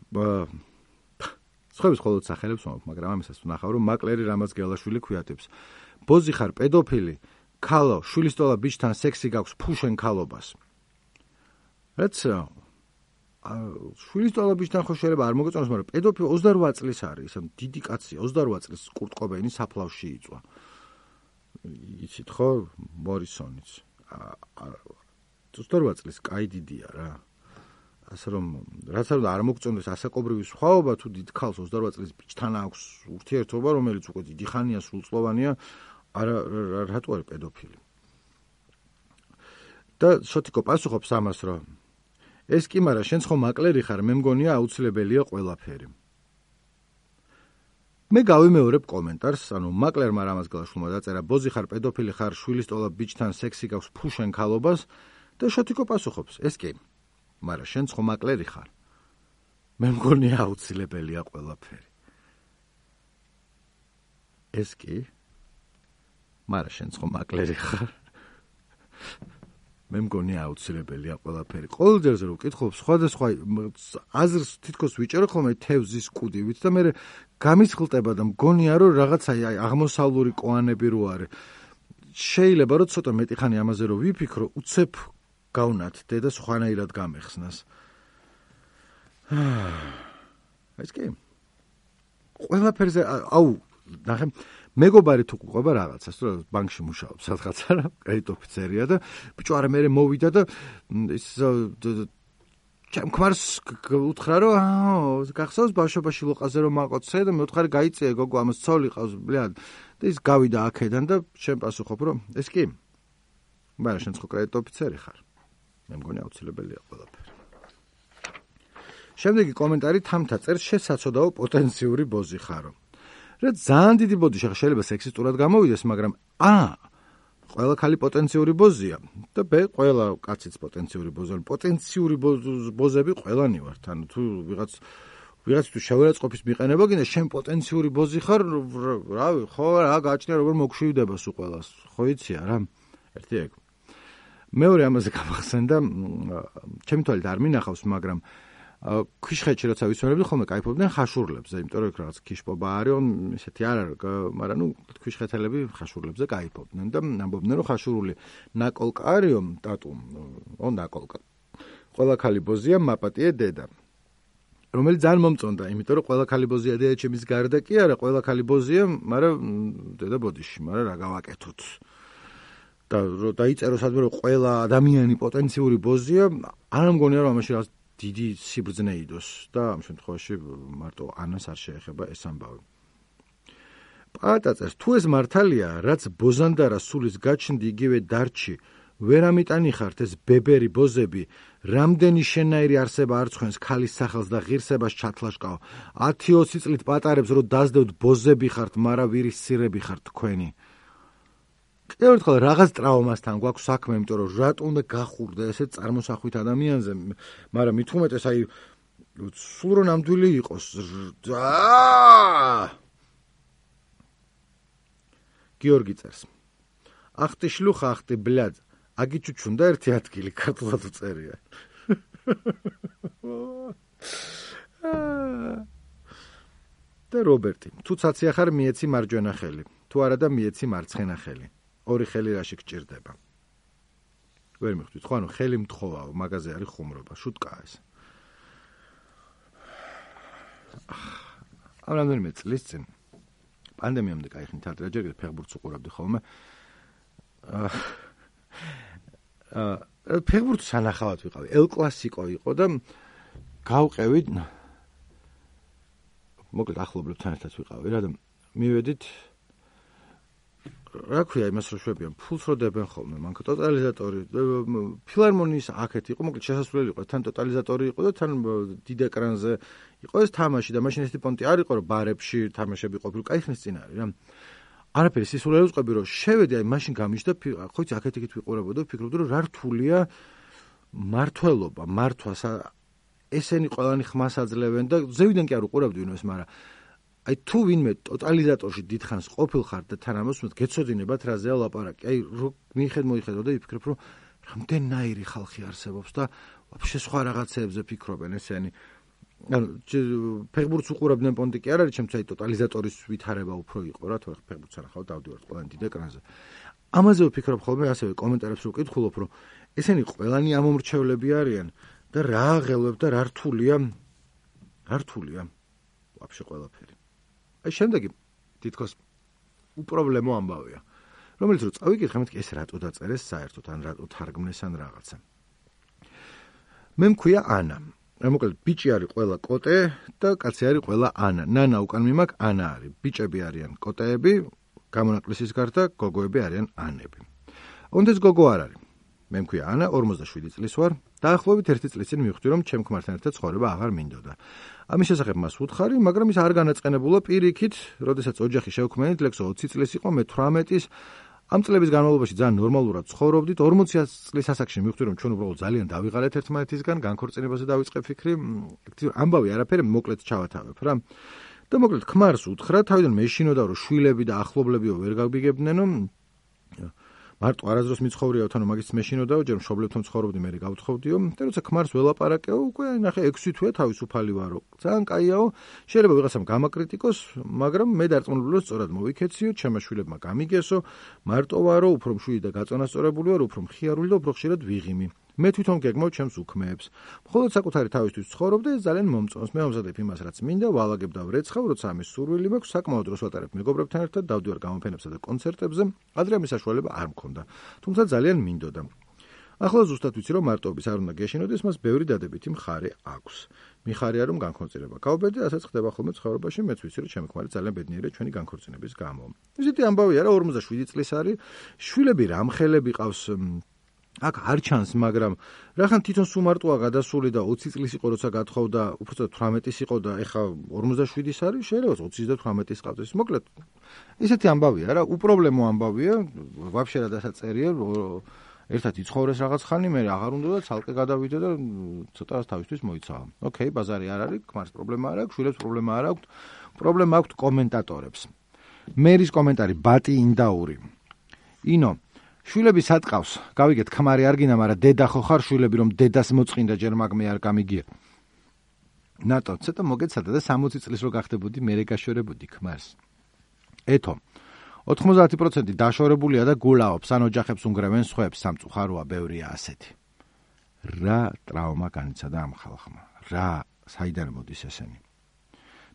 სხვების ხოლოდ სახელებს ვამბობ, მაგრამ ამასაც ვნახავ, რომ მაკლერი რამაც გელაშვილი ქვიატებს. ბოზი ხარ, პედოფილი, ქალო, შვილისტოლა ბიჭთან სექსი გაქვს, ფუშენ ქალობას. რაც შვილისტოლა ბიჭთან ხო შეიძლება არ მოგეწონოს, მაგრამ პედოფილი ოცდაორ წლის არის, ისე დიდი კაცია, ოცდაორ წლის კურტ კობეინი საფლავში იწვა. იცით ხო, მორისონიც. ოცდაორ წლის კაი დიდია რა. ასე რომ რაც არ უნდა არ მოგწონდეს ასაკობრივი სხვაობა, თუ დიდ ქალს ოცდაორ წლის ბიჭთან აქვს ურთიერთობა, რომელიც უკვე დიდი ხანია სრულწლოვანია, არა რატო არის პედოფილი. და შოთიკო პასუხობს ამას, რომ ეს კი მარა შენც ხო მაკლერი ხარ, მე მგონია აუცილებელია ყველაფერი. მე გავიმეორებ კომენტარს, ანუ მაკლერმა რამაც გლაშულმა დაწერა, ბოზი ხარ, პედოფილი ხარ, შვილის ტოლა ბიჭთან სექსი გაქვს, ფუშენ ქალობას და შოთიკო პასუხობს, ეს კი, მარა შენც ხო მაკლერი ხარ. მე მგონია აუცილებელია ყველაფერი. ეს კი, მარა შენც ხო მაკლერი ხარ. მე მგონია აუცილებელია ყველაფერი. ყოველ ჯერზე რომ ვკითხულობ, სხვადასხვა აზრს თითქოს ვიჭერო ხოლმე თევზის კუდივით და მე გამისხლტება და მგონია რომ რაღაცა აღმოსავლური კოანები რო არის. შეიძლება რომ ცოტა მეტი ხანი ამაზე რომ ვიფიქრო, უცებ გავნათდე და სხვანაირად გამეხსნას. ეს კი. ყველაფერზე აუ, ნახე მეგობარი თუ გვყვება რაღაცას, თუ ბანკში მუშაობს სადღაცა რა, კრედიტ ოფიცერია და ბიჭო არა მე მოვიდა და ის ჩემ ქმარს უთხრა რომ აა გახსოვს ბავშვობაში ლოყაზე რომ მაყოცე და მე ვთხარი გაიწია გოგო ამას ცოლი ყავს ბლად და ის გავიდა აქედან და შენ პასუხობ რომ ეს კი მაგრამ შენ ხო კრედიტ ოფიცერი ხარ მე მგონი აუცილებელია ყველაფერი. შემდეგი კომენტარი თამთა წერს შესაძოდაო პოტენციური ბოზი ხარო. რა ძალიან დიდი ბოდიში შეიძლება სექსისტურად გამოვიდეს, მაგრამ ა ყველა ქალი პოტენციური ბოზია და ბ ყველა კაციც პოტენციური ბოზია. პოტენციური ბოზები ყველანი ვართ. ანუ თუ ვიღაც ვიღაც თუ შევერაცხყოფის მიყენება გინდა შენ პოტენციური ბოზი ხარ, რავი, ხო რა გააჩნია როგორ მოგშვიდება სულ ყველას. ხო იცია რა. ერთი ეგ. მეორე ამაზე გამახსენდა, ჩემი თვალით არ მინახავს, მაგრამ ქიშხეთში როცა ვისვენებდი ხოლმე кайფობდნენ ხაშურლებზე, იმიტომ რომ იქ რაღაც ქიშპობა არის, ესეთი არ არის, მაგრამ ნუ ქიშხეთელები ხაშურლებზე кайფობდნენ და ამბობდნენ რომ ხაშურული ნაკოლკა არისო ტატუ, ო ნაკოლკა. ყველა ქალი ბოზია, მაპატიე დედა. რომელიც ძალიან მომწონდა, იმიტომ რომ ყველა ქალი ბოზია დედა ჩემის გარდა კი არა, ყველა ქალი ბოზია, მაგრამ დედა ბოდიში, მაგრამ რა გავაკეთოთ. და რომ დაიწერო სადმე რომ ყველა ადამიანი პოტენციური ბოზია, არ მგონია რომ ამაში რაღაც დიდი სიბრძნე იდოს და ამ შემთხვევაში მარტო ანას არ შეეხება ეს ამბავი. პატაწეს თუ ეს მართალია, რაც ბოზანდარა სულის გაჩნდი იგივე დარჩი, ვერ ამიტანიხართ ეს ბებერი ბოზები, რამდენი შენაირი არსება არ ცხენს ქალის სახელს და ღირსებას ჩათლაშკაო. ათი ოცი წლით პატარებს რომ დაძდევთ ბოზები ხართ, მარა ვირის სირები ხართ თქვენი. კიდევ ერთხელ რაღაც ტრავმასთან გვაქვს საქმე, იმიტომ რომ რატო უნდა გახურდე ესე წარმოსახვით ადამიანზე, მაგრამ მით უმეტეს აი სულ რომ ნამდვილი იყოს. გიორგი წერს. ах ты шлюха, ах ты блядь. აგი ჩუჩუნდა ერთი ადგილი ქართულად უწერია. და რობერტი, თუ ცაცია ხარ მიეცი მარჯვენა ხელი, თუ არა და მიეცი მარცხენა ხელი. ორი ხელი რაში გჭირდება. ვერ მიხვდით, ხო, ანუ ხელი მთხოვაო, მაგაზე არის ხუმრობა, შუტკაა ეს. ამ რამდენიმე წლის წინ პანდემიამდე кайხნით არ ჯერ კიდევ ფეხბურთს უყურებდი ხოლმე. აა ფეხბურთს სანახავად ვიყავი, ელ კლასიკო იყო და გავყევით მოკლედ ახლობლებთან ერთად ვიყავი რა და მივედით რა ქვია იმას რო შვებიან, ფულს რო დებენ ხოლმე, მანქ ტოტალიზატორი, ფილარმონიის აქეთ იყო, მოკლედ შესასვლელი იყო, თან ტოტალიზატორი იყო და თან დიდ ეკრანზე იყო ეს თამაში და მაშინ ესეთი პონტი არ იყო, რომ ბარებში თამაშები ყოფილი, кайხნის წინ არის რა. არაფერი სისულელე ვწყები რომ შევედი, აი მაშინ გამიჯდა, ხო იცი, აქეთ-იქით ვიყურებოდა, ვფიქრობდი რომ რა რთულია მართლობა, მართვას ესენი ყველანი ხმას აძლევენ და ზევიდან კი არ უყურებდი ვინმეს, მაგრამ აი თუ ვინმე ტოტალიზატორში დიდხანს ყოფილხარ და თან ამას უმეტ გეცოდინებათ რაზეა ლაპარაკი. აი რო მიიხედ მოიხედო და ვიფიქრებ რომ რამდენაირი ხალხი არსებობს და ვაფშე სხვა რაღაცეებზე ფიქრობენ ესენი. ანუ ფეხბურთს უყურებდნენ პონტი კი არ არის, ჩემთვის აი ტოტალიზატორის ვითარება უფრო იყო რა, თორე ფეხბურთს ანახავ დავდივართ ყველანი დიდ ეკრანზე. ამაზე ვფიქრობ ხოლმე, ასევე კომენტარებს რო ვკითხულობ, რომ ესენი ყველანი ამომრჩევლები არიან და რა აღელვებ და რა რთულია, რა რთულია ვაფშე ყველაფერი. აი შემდეგი თითქოს უპრობლემო ამბავია. რომელიც რო წავიკითხე, მეთქი ეს რატო დაწერეს საერთოდ, ან რატო თარგმნეს ან რაღაცა. მე მქვია ანა. მოკლედ ბიჭი არის ყველა კოტე და კაცი არის ყველა ანა. ნანა უკან მიმაქ ანა არის. ბიჭები არიან კოტეები, გამონაკლისის გარდა გოგოები არიან ანები. ონდეს გოგო არ არის. მე მქვია ანა, ორმოცდაშვიდი წლის ვარ. დაახლოებით ერთი წლის წინ მივხვდი, რომ ჩემ ქმართან ერთად ცხოვრება აღარ მინდოდა. ამის შესახებ მას ვუთხარი, მაგრამ ის არ განაწყენებულა პირიქით, როდესაც ოჯახი შევქმნით, ლექსო ოცი წლის იყო, მე თვრამეტის. ამ წლების განმავლობაში ძალიან ნორმალურად ცხოვრობდით. ორმოცი წლის ასაკში მივხვდი, რომ ჩვენ უბრალოდ ძალიან დავიღალეთ ერთმანეთისგან, განქორწინებაზე დავიწყე ფიქრი. ამბავი არაფერი, მოკლედ ჩავათავებ რა. და მოკლედ ქმარს უთხრა, თავიდან მეშინოდა, რომ შვილები და ახლობლებიო ვერ გაგიგებდნენო. მარტო არასდროს მიცხოვრიაო, თან მაგის მეშინოდაო, ჯერ მშობლებთან ცხოვრობდი, მე გავთხოვდიო. და როცა ქმარს ველაპარაკეო, უკვე ნახე ექვსი თვეა თავისუფალი ვარო. ძალიან კაიაო, შეიძლება ვიღაცამ გამაკრიტიკოს, მაგრამ მე დარწმუნებული ვარ, სწორად მოვიქეციო, ჩემმა შვილებმა გამიგესო, მარტო ვარო, უფრო მშვიდი და გაწონასწორებული ვარ, უფრო მხიარული და უფრო ხშირად ვიღიმი. მე თვითონ გეგმავ ჩემს უქმეებს. მხოლოდ საკუთარი თავისთვის ვცხოვრობ და ეს ძალიან მომწონს. მე ვამზადებ იმას, რაც მინდა, ვალაგებ და ვრეცხავ, როცა ამის სურვილი მაქვს, საკმაოდ დროს ვატარებ მეგობრებთან ერთად, დავდივარ გამოფენებსა და კონცერტებზე. ადრე ამის საშუალება არ მქონდა, თუმცა ძალიან მინდოდა. ახლა ზუსტად ვიცი, რომ მარტოობის არ უნდა გეშინოდეს, მას ბევრი დადებითი მხარე აქვს. მიხარია, რომ განქორწინება გავბედე, ასაც ხდება ხოლმე ცხოვრებაში, მეც ვიცი, რომ ჩემი ქმარი ძალიან ბედნიერია ჩვენი განქორწინების გამო. ისეთი ამბავი არა, ორმოცდაშვიდი წლის არის, შვილები რამხელები ყავს. აქ არ ჩანს, მაგრამ რახან თვითონ სუმარტოა გადასული და ოცი წლის იყო, როცა გათხოვდა, უბრალოდ თვრამეტის იყო და ეხა ორმოცდაშვილის არის, შეიძლება ოცი და თვრამეტის ყავდეს. მოკლედ, ისეთი ამბავია რა, უპრობლემო ამბავია, ვაფშე რა დასაწერია, ერთად იცხოვრეს რაღაც ხანი, მე აღარ უნდა და ცალკე გადავიდე და ცოტა თავისთვის მოიცავა. ოკეი, ბაზარი არ არის, ქმარს პრობლემა არ აქვს, შვილებს პრობლემა არ აქვს, პრობლემა აქვს კომენტატორებს. მერის კომენტარი ბატი ინდაური. ინო შვილები სატყავს, გავიგეთ, ქმარი არ გინდა, მაგრამ დედა ხო ხარ, შვილები რომ დედას მოწყინდა, ჯერ მაგმე არ გამიგია. ნატო, ცოტა მოგეცადა და სამოცი წლის რო გახდებოდი, მერე გაშორებოდი ქმარს. ეთო, ოთხმოცდაათი პროცენტი დაშორებულია და გულაობს, ან ოჯახებს უნგრევენ სხვებს, სამწუხაროა, ბევრია ასეთი. რა ტრავმა განიცადა ამ ხალხმა? რა, საიდან მოდის ესენი?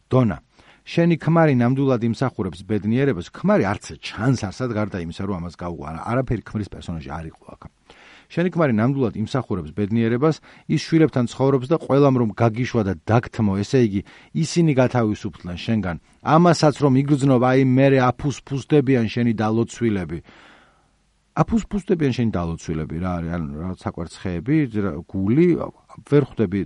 დონა, შენი ქმარი ნამდვილად იმსახურებს ბედნიერებას, ქმარი არც ჩანს არსად გარდა იმისა, რომ ამას გაუყარა. არაფერი ქმრის პერსონაჟი არ იყო აქ. შენი ქმარი ნამდვილად იმსახურებს ბედნიერებას, ის შვილებთან ცხოვრობს და ყველამ რომ გაგიშვა და დაგთმო, ესე იგი, ისინი გათავისუფლდნენ შენგან. ამასაც რომ იგრძნով, აი მერე აფუსფუსდებიან შენი დალოცვილები. აფუსფუსდებიან შენი დალოცვილები, რა არის, ან რა საკვერცხეები, გული, ვერ ხვდები.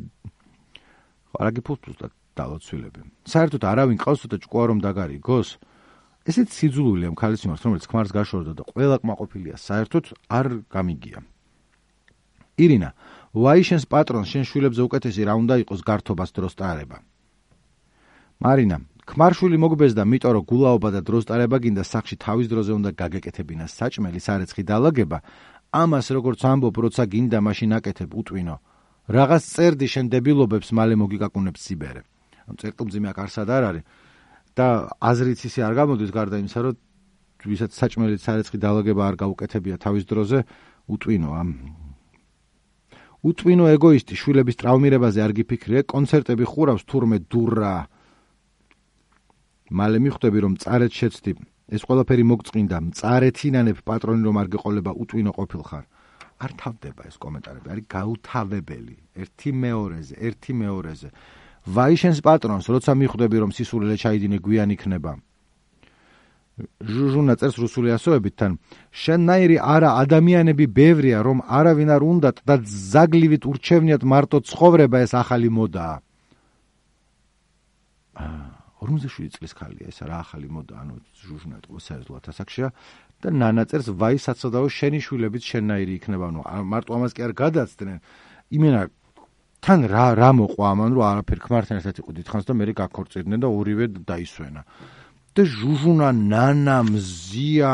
რა გიფუსფუსდა დალოცვილები. საერთოდ არავინ ყავს და ჭკუა რომ დაგარიგოს. ესეც სიძულვილია ამ ქალის მიმართ, რომელიც ქმარს გაშორდა და ყველა კმაყოფილია, საერთოდ არ გამიგია. ირინა, ვაი შენს პატრონს შენ შვილებზე უკეთესი რა უნდა იყოს გართობას დროს ტარება. მარინა, ქმარშვილი მოგბეზდა, მიტო რომ გულაობა და დროს ტარება გინდა სახში თავის დროზე უნდა გაგეკეთებინა საჭმელი, სარეცხი დალაგება, ამას როგორც ამბობ, როცა გინდა მაშინ აკეთებ უტვინო. რაღაც წერდი შენ დებილობებს, მალე მოგიკაკუნებს სიბერე. ამ წერტილმძიმე აქ არსად არ არის და აზრიც ისე არ გამოდის გარდა იმისა, რომ ვისაც საჭმელი სარეცხი დალაგება არ გაუკეთებია თავის დროზე, უტვინო ამ უტვინო ეგოისტი შვილების ტრავმირებაზე არ გიფიქრე, კონცერტები ხურავს თურმე დურა. მალე მიხვდები რომ წარეთ შეცდი, ეს ყველაფერი მოგწყინდა, მწარეთინანებ პატრონი რომ არ გეყოლება უტვინო ყოფილხარ. არ თავდება ეს კომენტარები, არის გაუთავებელი, ერთი მეორეზე, ერთი მეორეზე. ვაი შენს პატრონს, როცა მიხვდები რომ სისულელე ჩაიდინე გვიან იქნება. ჟუჟუნა წერს რუსული ასოებითთან, შენნაირი არა ადამიანები ბევრია, რომ არავინ არ უნდათ და ზაგლივით ურჩევნიათ მარტო ცხოვრება, ეს ახალი მოდაა. ორმოცდაშვიდი წლის ქალია ეს რა ახალი მოდა, ანუ ჟუჟუნა ეტყობა სერიოზულად ასაკშია და ნანა წერს ვაი საცოდაო შენი შვილებიც შენნაირი იქნება, ანუ მარტო ამას კი არ გადაცდნენ. იმენა თან რა რა მოყვა ამან, რომ არაფერ ქმართან ერთად იყო დიდხანს და მე გაქორწინდნენ და ორივე დაისვენა. და ჟუჟუნა, ნანა, მზია,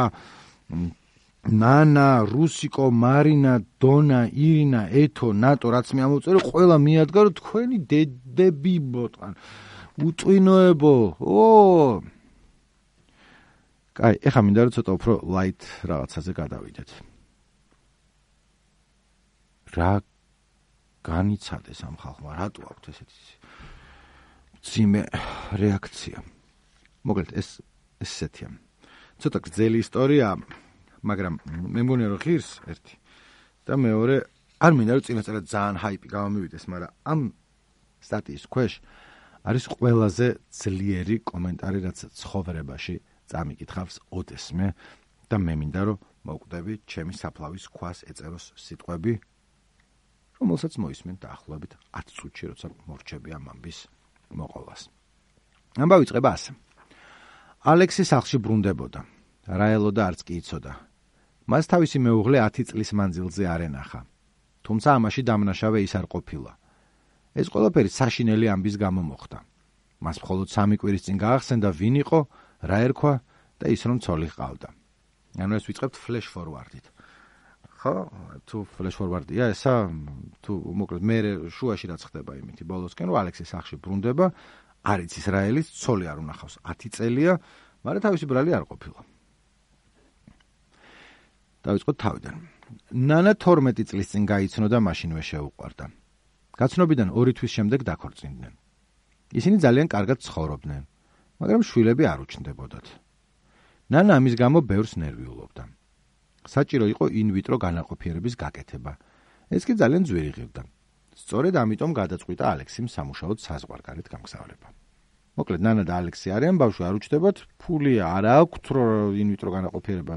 ნანა, რუსიკო, მარინა, დონა, ირინა, ეთო, ნატო, რაც მე ამოვწერე, ყველა მიადგა, რომ თქვენი დედები ბოტყან. უტვინოებო, ო! კაი, ეხა მინდა რომ ცოტა უფრო ლაით რაღაცაზე გადავიდეთ. რა განიცადეს ამ ხალხმა, რატო აქვთ ესეთი ძიმე რეაქცია? მოკლედ ეს ესეთია. ცოტა გრძელი ისტორია, მაგრამ მე მგონია რომ ღირს ერთი და მეორე არ მინდა რომ წინასწარ ძალიან ჰაიპი გამომივიდეს, მაგრამ ამ სტატიის ქვეშ არის ყველაზე ძლიერი კომენტარი, რაც ცხოვრებაში წამიკითხავს ოდესმე და მე მინდა რომ მოვკვდები ჩემი საფლავის ქვას ეწეროს სიტყვები, რომელსაც მოისმენ დაახლოებით ათი წუთში, როცა მორჩები ამ ამბის მოყოლას. ამბავი იწყება ასე. ალექსი სახლში ბრუნდებოდა. რაელო და არც კი იცოდა. მას თავისი მეუღლე ათი წლის მანძილზე არ ენახა. თუმცა ამაში დამნაშავე ის არ ყოფილა. ეს ყველაფერი საშინელი ამბის გამო მოხდა. მას მხოლოდ სამი კვირის წინ გაახსენდა ვინ იყო, რა ერქვა და ის რომ ცოლი ჰყავდა. ანუ ეს ვიწყებთ flash forward-ით. ხო, თუ flash forward-ია ესა, თუ მოკლედ მე შუაში რაც ხდება იმითი ბოლოსკენ, რომ ალექსი სახლში ბრუნდება, არ იცის რა ელის, ცოლი არ უნახავს, ათი წელია, მაგრამ თავისი ბრალი არ ყოფილა. დავიწყოთ თავიდან. ნანა თორმეტი წლის წინ გაიცნო და მაშინვე შეუყვარდა. გაცნობიდან ორი თვის შემდეგ დაქორწინდნენ. ისინი ძალიან კარგად ცხოვრობდნენ, მაგრამ შვილები არ უჩნდებოდათ. ნანა ამის გამო ბევრს ნერვიულობდა. საჭირო იყო ინვიტრო განაყოფიერების გაკეთება. ეს კი ძალიან ძვირი ღირდა. სწორედ ამიტომ გადაწყვიტა ალექსიმ სამუშაოდ საზღვარგარეთ გამგზავრება. მოკლედ ნანა და ალექსი არიან, ბავშვი არ უჩნდებათ, ფული არ აქვთ, რომ ინვიტრო განაყოფიერება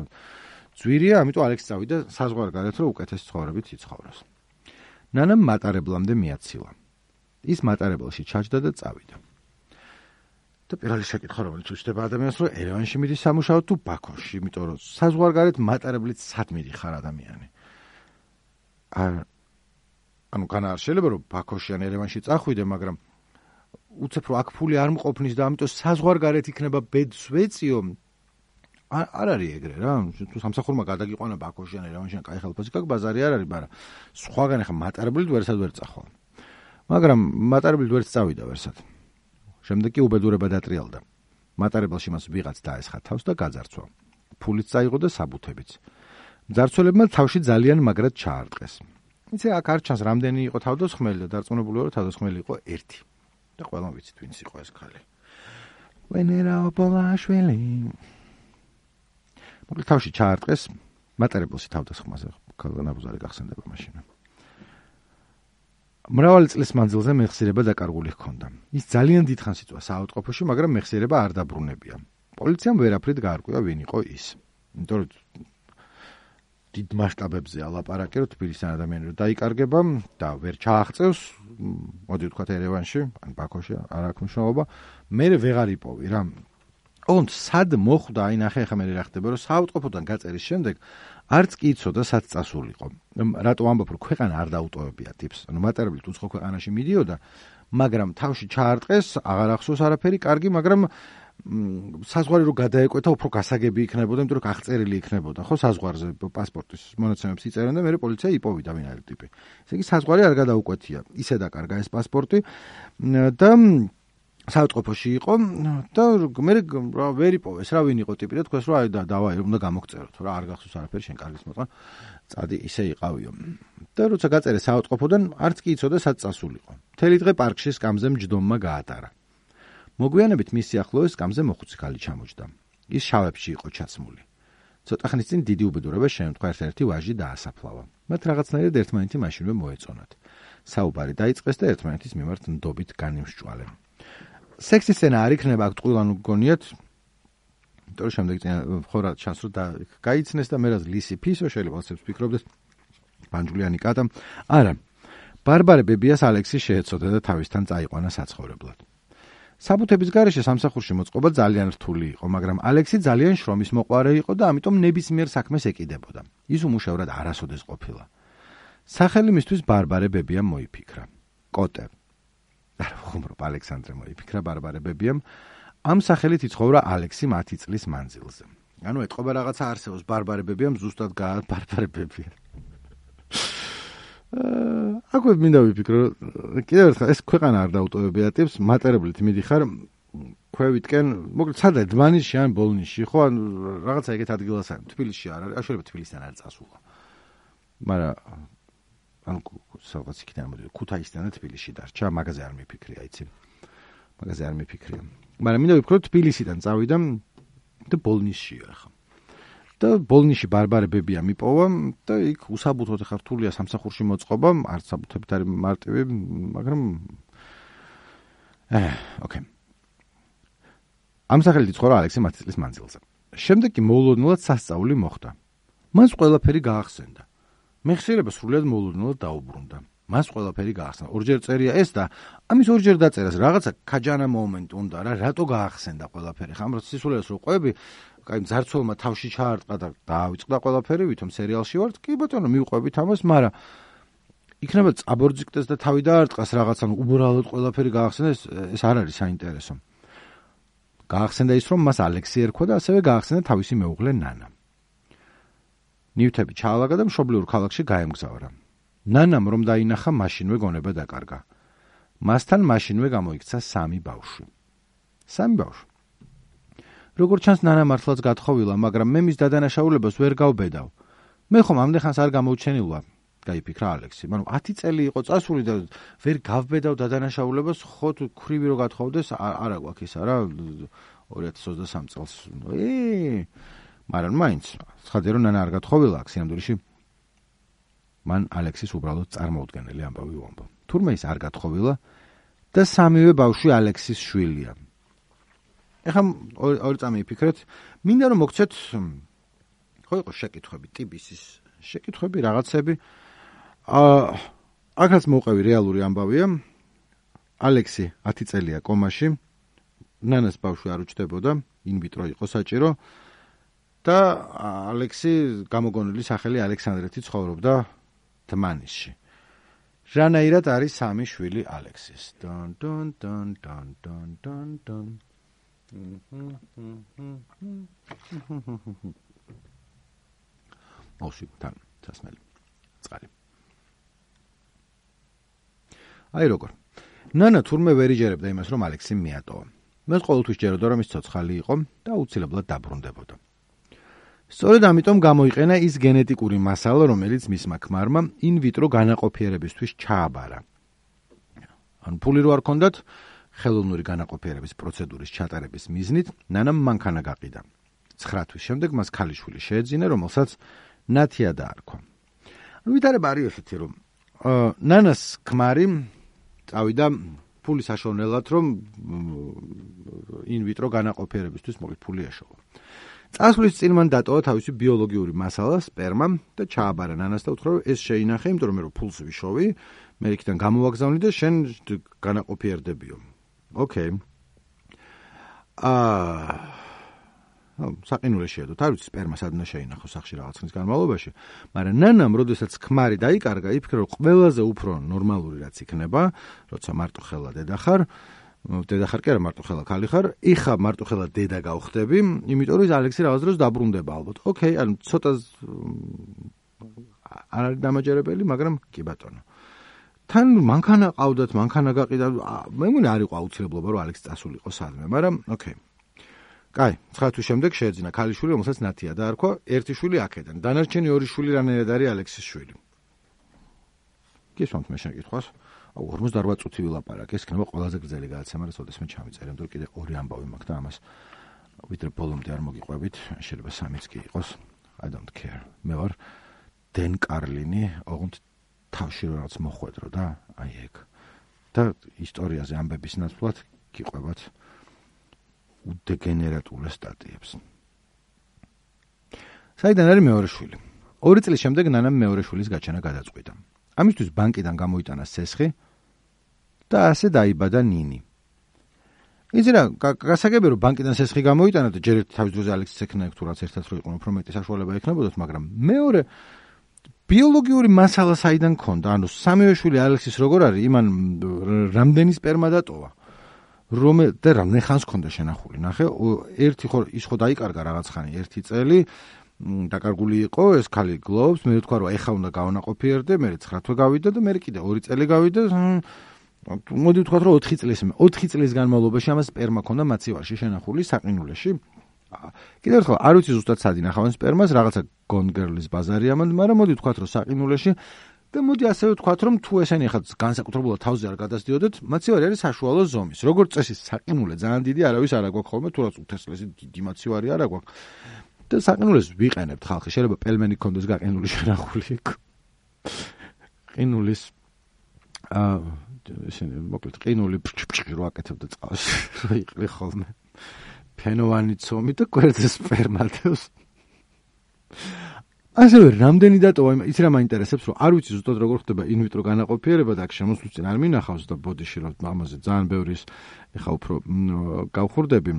ძვირია, ამიტომ ალექსი წავიდა საზღვარგარეთ, რომ უკეთეს ცხოვრებით იცხოვროს. ნანამ მატარებლამდე მიაცილა. ის მატარებელში ჩაჯდა და წავიდა. და პირველი შეკითხვა რომელიც უჩნდება ადამიანს, რომ ერევანში მიდის სამუშაოდ თუ ბაქოში, იმიტომ რომ საზღვარგარეთ მატარებლით სად მიდიხარ ადამიანი. არ ანუ განა არ შეიძლება რომ ბაქოში ან ერევანში წახვიდე, მაგრამ უცებ რომ აქ ფული არ მყოფნის და ამიტომ საზღვარგარეთ იქნება ბედს ვეციო. არ არის ეგრე რა, თუ სამსახურმა გადაგიყვანა ბაქოში ან ერევანში ან კაი ხელფასი გაქვს, ბაზარი არ არის, მაგრამ სხვაგან ახლა მატარებლით ვერსად ვერ წახვალ. მაგრამ მატარებლით ვერც წავიდა ვერსად. შემდეგ კი უბედურება დატრიალდა. მატარებელში მას ვიღაც დაესხა თავს და გაძარცვა. ფულიც წაიღო და საბუთებიც. მძარცველებმა თავში ძალიან მაგრად ჩაარტყეს. იცი აქ არ ჩანს რამდენი იყო თავდასხმელი და დარწმუნებული ვარ, რომ თავდასხმელი იყო ერთი. და ყველამ ვიცით ვინც იყო ეს ქალი. ვენერა ოპოლაშვილი. მოკლედ თავში ჩაარტყეს, მატარებელში თავდასხმაზე ქალგანაბუზარი გახსენდება მაშინ. მრავალი წლის მანძილზე მეხსიერება დაკარგული ჰქონდა. ის ძალიან დიდხანს იწვა საავადმყოფოში, მაგრამ მეხსიერება არ დაბრუნებია. პოლიციამ ვერაფრით გაარკვია ვინ იყო ის. იმიტომ რომ დიდ მასშტაბებზე ალაპარაკე, რომ თბილისთან ადამიანი რომ დაიკარგება და ვერ ჩააღწევს, მოდი ვთქვათ ერევანში, ან ბაქოში, არ აქვს მნიშვნელობა, მე ვეღარ იპოვი რა. ოღონდ სად მოხვდა, აი ნახე ახლა მე რა ხდება, რომ საავადმყოფოდან გაწერის შემდეგ არც კი იცოდა სად წასულიყო. რატო ამბობ, რომ ქვეყანა არ დაუტოვებია ტიპს. ანუ მატარებლით უცხო ქვეყანაში მიდიოდა, მაგრამ თავში ჩაარტყეს, აღარ ახსოვს არაფერი, კარგი, მაგრამ საზღვარი რო გადაეკვეთა, უფრო გასაგები იქნებოდა, იმიტომ რომ აღწერილი იქნებოდა, ხო, საზღვარზე პასპორტის მონაცემებს იწერენ და მე პოლიცია იპოვიდა ვინ არის ტიპი. ესე იგი საზღვარი არ გადაუკვეთია. ისე დაკარგა ეს პასპორტი და საავადმყოფოში იყო და მე ვერ იპოვეს რა ვინ იყო ტიპი და თქვეს რომ აი და დავაი უნდა გამოგწეროთ რა არ გახსოვს არაფერი შენ კარგის მოწყვა წადი ისე იყავიო და როცა გაწერე საავადმყოფოდან არც კი იცოდა სად წასულიყო. მთელი დღე პარკში სკამზე მჯდომმა გაატარა. მოგვიანებით მის სიახლოვეს სკამზე მოხუცი ქალი ჩამოჯდა. ის შავებში იყო ჩაცმული. ცოტა ხნის წინ დიდი უბედურება შემთხვევა ერთ-ერთი ვაჟი დაასაფლავა. მათ რაღაცნაირად ერთმანეთი მაშინვე მოეწონათ. საუბარი დაიწყეს და ერთმანეთის მიმართ ნდობით განიმსჭვალენ. სექსის სცენა არ იქნება აქ ტყუილან გონიათ. იმიტომ რომ შემდეგ ხორა ჩანს რომ გაიცნეს და მერაც ლისი ფისო შეიძლება ასეც ფიქრობდეს პანჯულიანი კატა. არა. ბარბარე ბებიას ალექსი შეეცოდა და თავისთან წაიყვანა საცხოვრებლად. საბუთების გარეშე სამსახურში მოწყობა ძალიან რთული იყო, მაგრამ ალექსი ძალიან შრომის მოყვარე იყო და ამიტომ ნებისმიერ საქმეს ეკიდებოდა. ის უმუშევრად არასოდეს ყოფილა. სახელი მისთვის ბარბარე ბებიამ მოიფიქრა. კოტე. არ ხუმრობ ალექსანდრე მოიფიქრა ბარბარე ბებიამ. ამ სახელით იცხოვრა ალექსი ათი წლის მანძილზე. ანუ ეთყობა რაღაცა არსებობს ბარბარე ბებიამ ზუსტად გაა ბარბარე ბებია. აკვე მინდა ვიფიქრო, კიდევ ერთხელ ეს ქვეყანა არ დაუტოვებია ტიპს, მატარებლით მიდიხარ ქვევიტკენ, მოკლედ სადა დმანისში ან ბოლნისში, ხო, ან რაღაცა ეგეთ ადგილასა, თბილისში არ არის, აშუალება თბილისთან არ წასულა. მაგრამ ან რაღაც იქიდან მოდი, ქუთაისიდან და თბილისში დარჩა, მაგაზე არ მიფიქრია, იცი. მაგაზე არ მიფიქრია. მაგრამ მინდა ვიფიქრო, თბილისიდან წავიდა და ბოლნისშია ახლა. და ბოლნიში ბარბარებებია მიპოვა და იქ უსაბუთოდ ხარ რთულია სამსახურში მოწყობა, არც საბუთებით არის მარტივი, მაგრამ აა, ოკეი. ამ სახელით იცხოვრა ალექსი მათი წლის მანძილზე. შემდეგ კი მოულოდნელად სასწაული მოხდა. მას ყველაფერი გაახსენდა. მეხსიერება სრულად მოულოდნელად დაუბრუნდა. მას ყველაფერი გაახსენდა. ორჯერ წერია ეს და ამის ორჯერ დაწერას რაღაცა ქაჯანა მომენტი უნდა რა, რატო გაახსენდა ყველაფერი. ხამ რო სისულელს რო ყვები, კაი მძარცველმა თავში ჩაარტყა და დაავიწყდა ყველაფერი, ვითომ სერიალში ვართ. კი ბატონო, მივყვებით ამას, მაგრამ იქნება წაბორძიკდეს და თავი დაარტყას რაღაცა, უბრალოდ ყველაფერი გაახსენდა, ეს ეს არ არის საინტერესო. გაახსენდა ის, რომ მას ალექსი ერქვა და ასევე გაახსენდა თავისი მეუღლე ნანა. ნივთები ჩაალაგა და მშობლიურ ქალაქში გაემგზავრა. ნანამ რომ დაინახა, მაშინვე გონება დაკარგა. მასთან მაშინვე გამოიქცა სამი ბავშვი. სამი ბავშვი. როგორც ჩანს, ნანა მართლაც გათხოვილა, მაგრამ მე მის დადანაშაულებას ვერ გავბედავ. მე ხომ ამდენ ხანს არ გამოუჩენილა, გაიფიქრა ალექსი. მაგრამ ათი წელი იყო წასული და ვერ გავბედავ დადანაშაულებას, ხო თუ ქრივი რო გათხოვდეს, არა გვაქვს ის არა ორი ათას ოცდასამი წელს. ე მაგრამ მაინც, ცხადია რომ ნანა არ გათხოვილა აქ სინამდვილეში. მან ალექსის უბრალოდ წარმოუდგენელი ამბავი უამბო. თურმე ის არ გათხოვილა და სამივე ბავშვი ალექსის შვილია. ეხლა ორი წამი იფიქრეთ, მინდა რომ მოგცეთ ხო იყო შეკითხვები, ტიბისის შეკითხვები, რაღაცები. აა აქაც მოუყევი რეალური ამბავია. ალექსი ათი წელია კომაში. ნანას ბავშვი არ უჩნდებოდა, ინვიტრო იყო საჭირო. და ალექსი გამოგონილი სახელი ალექსანდრეთი ცხოვრობდა თმანისში. რანაირად არის სამი შვილი ალექსის? დონ დონ დონ დონ დონ დონ დონ. ოში თან დასმელი. წყალი. აი როგორ. ნანა თურმე ვერ იჯერებდა იმას, რომ ალექსი მიატოვა. მას ყოველთვის ჯეროდა, რომ ის ცოცხალი იყო და აუცილებლად დაბრუნდებოდა. სწორედ ამიტომ გამოიყენა ის გენეტიკური მასალა, რომელიც მისმა ქმარმა ინვიტრო განაყოფიერებისთვის ჩააბარა. ან ფული რო არ ქონდათ, ხელოვნური განაყოფიერების პროცედურის ჩატარების მიზნით ნანამ მანქანა გაყიდა. ცხრა თვის შემდეგ მას ქალიშვილი შეეძინა, რომელსაც ნათია დაარქვა. ვითარება არის ესეთი, რომ ნანას ქმარი წავიდა ფულის საშოვნელად, რომ ინვიტრო განაყოფიერებისთვის მოგეთ ფული ეშოვა. წასვლის წინ მან დატოვა თავისი ბიოლოგიური მასალა, სპერმა და ჩააბარა ნანას და უთხრა, რომ ეს შეინახე, იმიტომ რომ მე რო ფულს ვიშოვი, მე იქიდან გამოვაგზავნი და შენ განაყოფიერდებიო. ოკეი. აა საყინულეშია თუ თავის სპერმა სადნა შეინახო სახში რაღაც ხნის განმავლობაში, მაგრამ ნანამ როდესაც ქმარი დაიკარგა, იფიქრა, რომ ყველაზე უფრო ნორმალური რაც იქნება, როცა მარტო ხელა დედა ხარ, დედა ხარ კი არა მარტო ხელა ქალი ხარ, იხა მარტო ხელა დედა გავხდები, იმიტომ რომ ალექსი რაღაც დროს დაბრუნდება ალბათ. ოკეი, ანუ ცოტა არ არის დამაჯერებელი, მაგრამ კი ბატონო. თან მანქანა ყავდათ, მანქანა გაყიდა, მე მგონი არ იყო აუცილებლობა, რომ ალექსი წასულიყო სადმე, მაგრამ ოკეი. კაი, ცხრა თვის შემდეგ შეეძინა ქალიშვილი, რომელსაც ნათია დაარქვა, ერთი შვილი აქედან. დანარჩენი ორი შვილი რანაირად არის ალექსის შვილი. გისვამთ მე შენ კითხვას. აუ ორმოცდაორბათ წუთი ვილაპარაკე, ეს იქნება ყველაზე გრძელი გადაცემა, რაც ოდესმე ჩამიწერე, იმიტომ რომ კიდე ორი ამბავი მაქვს და ამას ვიდრე ბოლომდე არ მოგიყვებით, შეიძლება სამიც კი იყოს. I don't care. მე ვარ დენ კარლინი, ოღონდ თავში რაღაც მოხვედრო და აი ეგ. და ისტორიაზე ამბების ნაცვლად გიყვებათ უდეგენერატულ სტატიებს. საიდან არის მეორე შვილი? ორი წლის შემდეგ ნანამ მეორე შვილის გაჩენა გადაწყვიტა. ამისთვის ბანკიდან გამოიტანა სესხი და ასე დაიბადა ნინი. იცი რა, გასაგებია რომ ბანკიდან სესხი გამოიტანა და ჯერ ერთი თავის დროზე ალექსის ექნა თუ რაც ერთად რო იყო უფრო მეტი საშუალება ექნებოდათ, მაგრამ მეორე ბიოლოგიური მასალა საიდან ქონდა? ანუ სამივე შვილი ალექსის როგორ არის, იმან რამდენი სპერმა დატოვა? რომე და რამდენი ხანს ქონდა შენახული? ნახე, ერთი ხო ის ხო დაიკარგა რაღაც ხანი, ერთი წელი დაკარგული იყო, ეს ქალი გლოვს, მე ვთქვა რომ ეხა უნდა გავანაყოფიერდე, მე ცხრა თვე გავიდა და მე კიდე ორი წელი გავიდა. მოდი ვთქვათ რომ ოთხი წლის მე ოთხი წლის განმავლობაში ამას სპერმა ქონდა მაცივარში შენახული საყინულეში. კიდევ ერთხელ არ ვიცი ზუსტად სად ინახავენ სპერმას, რაღაცა გონგერლის ბაზარი ამან, მაგრამ მოდი ვთქვათ რომ საყინულეში და მოდი ასევე ვთქვათ რომ თუ ესენი ხა განსაკუთრებულად თავზე არ გადასდიოდეთ, მაცივარი არის საშუალო ზომის. როგორც წესი საყინულე ძალიან დიდი არავის არ აგვაქვს ხოლმე, თუ რაც უთესლესი დიდი მაცივარი არ აგვაქვს. და საყინულს ვიყენებთ ხალხი, შეიძლება პელმენი კონდეს გაყინული შენახული. ყინულის აა ისინი მოკლედ ყინული ფჭფჭი რო აკეთებდა წყალში, რო იყლი ხოლმე. ფენოვანი ცომი და გვერდზე სპერმატევს. ასევე რამდენი დატოვა, იცი რა მაინტერესებს, რომ არ ვიცი ზუსტად როგორ ხდება ინვიტრო განაყოფიერება და აქ შემოსვლით წინ არ მინახავს და ბოდიში რომ ამაზე ძალიან ბევრი ეხა უფრო გავხურდები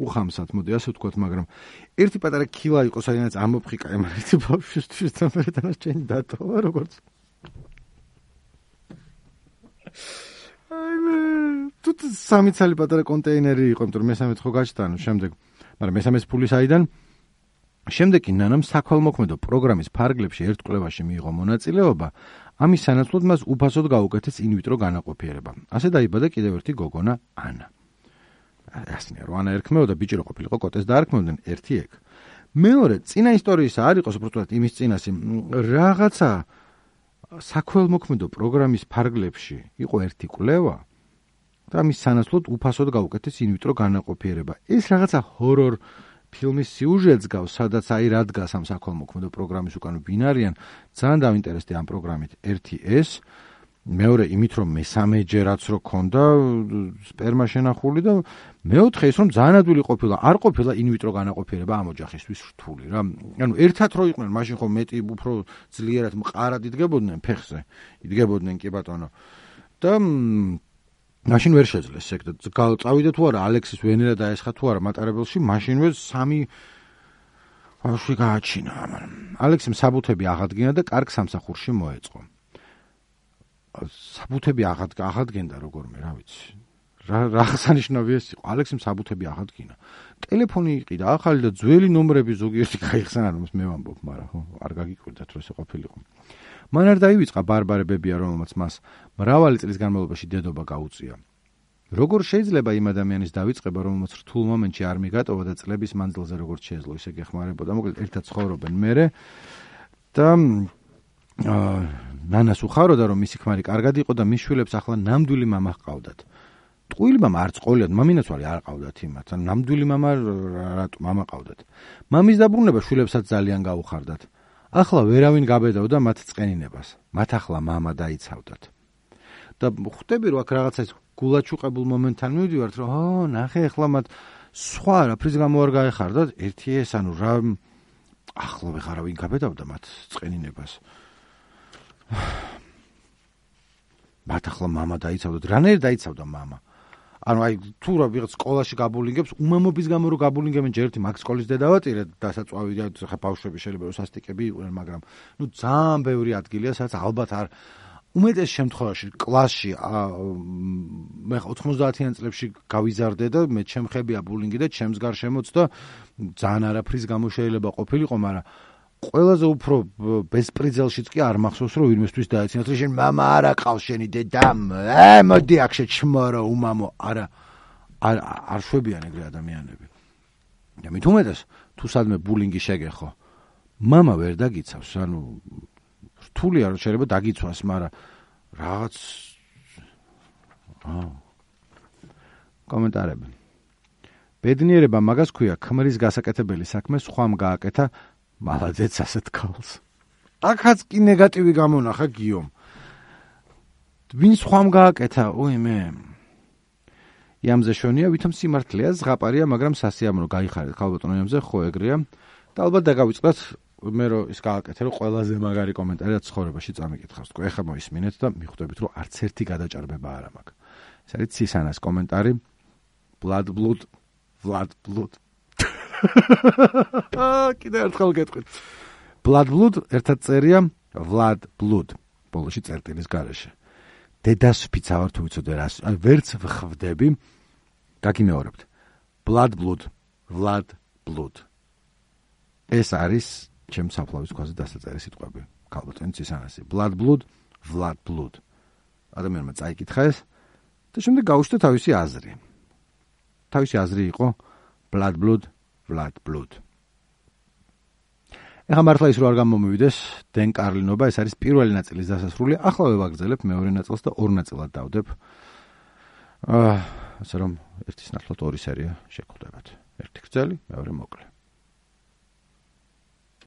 უხამსად, მოდი ასე ვთქვათ, მაგრამ ერთი პატარა ქილა იყო, სადაც ამოფხიკა ემართი ბავშვისთვის და მე დანარჩენი დატოვა როგორც აი მე თუ სამი ცალი პატარა კონტეინერი იყო, იმიტომ რომ მესამეც ხო გაჩნდა, შემდეგ, მაგრამ მესამეს ფული საიდან შემდეგ ნანამ საქველმოქმედო პროგრამის ფარგლებში ერთ კვლევაში მიიღო მონაწილეობა, ამის სანაცვლოდ მას უფასოდ გაუკეთეს ინვიტრო განაყოფიერება. ასე დაიბადა კიდევ ერთი გოგონა ანა. ასნია რომ ანა ერქმეოდა, ბიჭი რო ყოფილიყო, კოტეს დაარქმევდნენ ერთი ეგ. მეორე, წინა ისტორიისა არ იყოს უბრალოდ იმის წინასი, რაღაცა საქველმოქმედო პროგრამის ფარგლებში იყო ერთი კვლევა და ამის სანაცვლოდ უფასოდ გაუკეთეს ინვიტრო განაყოფიერება. ეს რაღაცა ჰორორ ფილმის სიუჟეტს გავს, სადაც აი რა დგას ამ საქველმოქმედო პროგრამის უკან ვინ არიან, ძალიან დავინტერესდი ამ პროგრამით. ერთი ეს, მეორე იმით რომ მესამეჯერაც რო ქონდა სპერმა შენახული და მეოთხე ის რომ ძალიან ადვილი ყოფილა, არ ყოფილა ინვიტრო განაყოფიერება ამ ოჯახისთვის რთული რა. ანუ ერთად რო იყვნენ, მაშინ ხო მეტი უფრო ძლიერად მყარად იდგებოდნენ ფეხზე. იდგებოდნენ კი ბატონო. და მაშინ ვერ შეძლეს ეგ და წავიდა თუ არა ალექსის ვენერა დაესხა თუ არა მატარებელში, მაშინვე სამი ბავშვი გააჩინა. ალექსიმ საბუთები აღადგინა და კარგ სამსახურში მოეწყო. საბუთები აღადგენდა როგორმე, რა ვიცი. რა აღსანიშნავი ეს იყო. ალექსიმ საბუთები აღადგინა. ტელეფონი იყიდა ახალი და ძველი ნომრები ზოგიერთი გაიხსნა, რომ მე ვამბობ, მაგრამ ხო არ გაგიკვირდათ რომ ესე ყოფილიყო. მან არ დაივიწყა ბარბარე ბებია, რომელმაც მას მრავალი წლის განმავლობაში დედობა გაუწია. როგორ შეიძლება იმ ადამიანის დავიწყება, რომელმაც რთულ მომენტში არ მიგატოვა და წლების მანძილზე როგორც შეეძლო ისე გეხმარებოდა, მოკლედ ერთად ცხოვრობენ მერე და ნანას უხაროდა, რომ მისი ქმარი კარგად იყო და მის შვილებს ახლა ნამდვილი მამა ჰყავდათ. ტყუილი მამა არ წყოლიათ, მამინაცვალი არ ყავდათ იმათ, ან ნამდვილი მამა რატო მამა ყავდათ. მამის დაბრუნება შვილებსაც ძალიან გაუხარდათ. ახლა ვერავინ გაბედავდა მათ წყენინებას. მათ ახლა მამა დაიცავდათ. და ხვდები რომ აქ რაღაცა ის გულაჩუყებულ მომენტთან მივდივართ, რომ ო, ნახე, ახლა მათ სხვა რაფრის გამო არ გაეხარდათ, ერთი ეს, ანუ რა ახლა ვეღარავინ გაბედავდა მათ წყენინებას. მათ ახლა მამა დაიცავდათ. რანაირ დაიცავდა მამა? ანუ აი თუ რა ვიღაც სკოლაში გაბულინგებს, უმამობის გამო რო გაბულინგებენ, ჯერ ერთი მაგ სკოლის დედავატირე, დასაწვავი და ხა ბავშვები შეიძლება რომ სასტიკები იყვნენ, მაგრამ ნუ ძალიან ბევრი ადგილია, სადაც ალბათ არ უმეტეს შემთხვევაში კლასში მე ოთხმოცდაათიან წლებში გავიზარდე და მე ჩემხებია ბულინგი და ჩემს გარშემოც და ძალიან არაფრის გამო შეიძლება ყოფილიყო, მაგრამ ყველაზე უფრო ბესპრიძელშიც კი არ მახსოვს რომ ვინმესთვის დაეცინათ რომ შენ მამა არ აყავს შენი დედამ, ე მოდი აქ შეჩმორო უმამო, არა არ არ შვებიან ეგრე ადამიანები. და მით უმეტეს თუ სადმე ბულინგი შეგეხო, მამა ვერ დაგიცავს, ანუ რთულია რომ შეიძლება დაგიცვას, მაგრამ რაღაც აა კომენტარები. ბედნიერება მაგას ქვია, ქმრის გასაკეთებელი საქმე სხვამ გააკეთა, მალადეც ასეთ ქალს. აქაც კი ნეგატივი გამონახა გიომ. ვინ სხვამ გააკეთა, ой მე. იამზე შონია, ვითომ სიმართლეა, ზღაპარია, მაგრამ სასიამოვნო გაიხარეთ ქალბატონო იამზე, ხო ეგრეა. და ალბათ დაგავიწყდათ მე რომ ის გააკეთე, რომ ყველაზე მაგარი კომენტარი რაც ცხოვრებაში წამიკითხავს. თქო, ეხლა მოისმინეთ და მიხვდებით, რომ არც ერთი გადაჭარბება არ მაქვს. ეს არის ცისანას კომენტარი. Blood blood, blood blood. აა, კიდე ერთხელ გეტყვით. Blood blood ერთად წერია Vlad blood. ბოლოში წერტილის გარეშე. დედას ვფიცავარ თუ ვიცოდე რას, აი ვერც ვხვდები. გაგიმეორებთ. Blood blood, Vlad blood. ეს არის ჩემ საფლავის ქვაზე დასაწერი სიტყვები. ქალბატონი ცისანასი. Blood blood, Vlad blood. ადამიანმა წაიკითხა ეს და შემდეგ გაუშვდა თავისი აზრი. თავისი აზრი იყო Blood blood, Vlad blood. ეხლა მართლა ის რო არ გამომივიდეს დენ კარლინობა, ეს არის პირველი ნაწილის დასასრული. ახლა ვაგრძელებ მეორე ნაწილს და ორ ნაწილად დავდებ. აა, ასე რომ ერთის ნაცვლად ორი სერია შეგხვდებათ. ერთი გრძელი, მეორე მოკლე.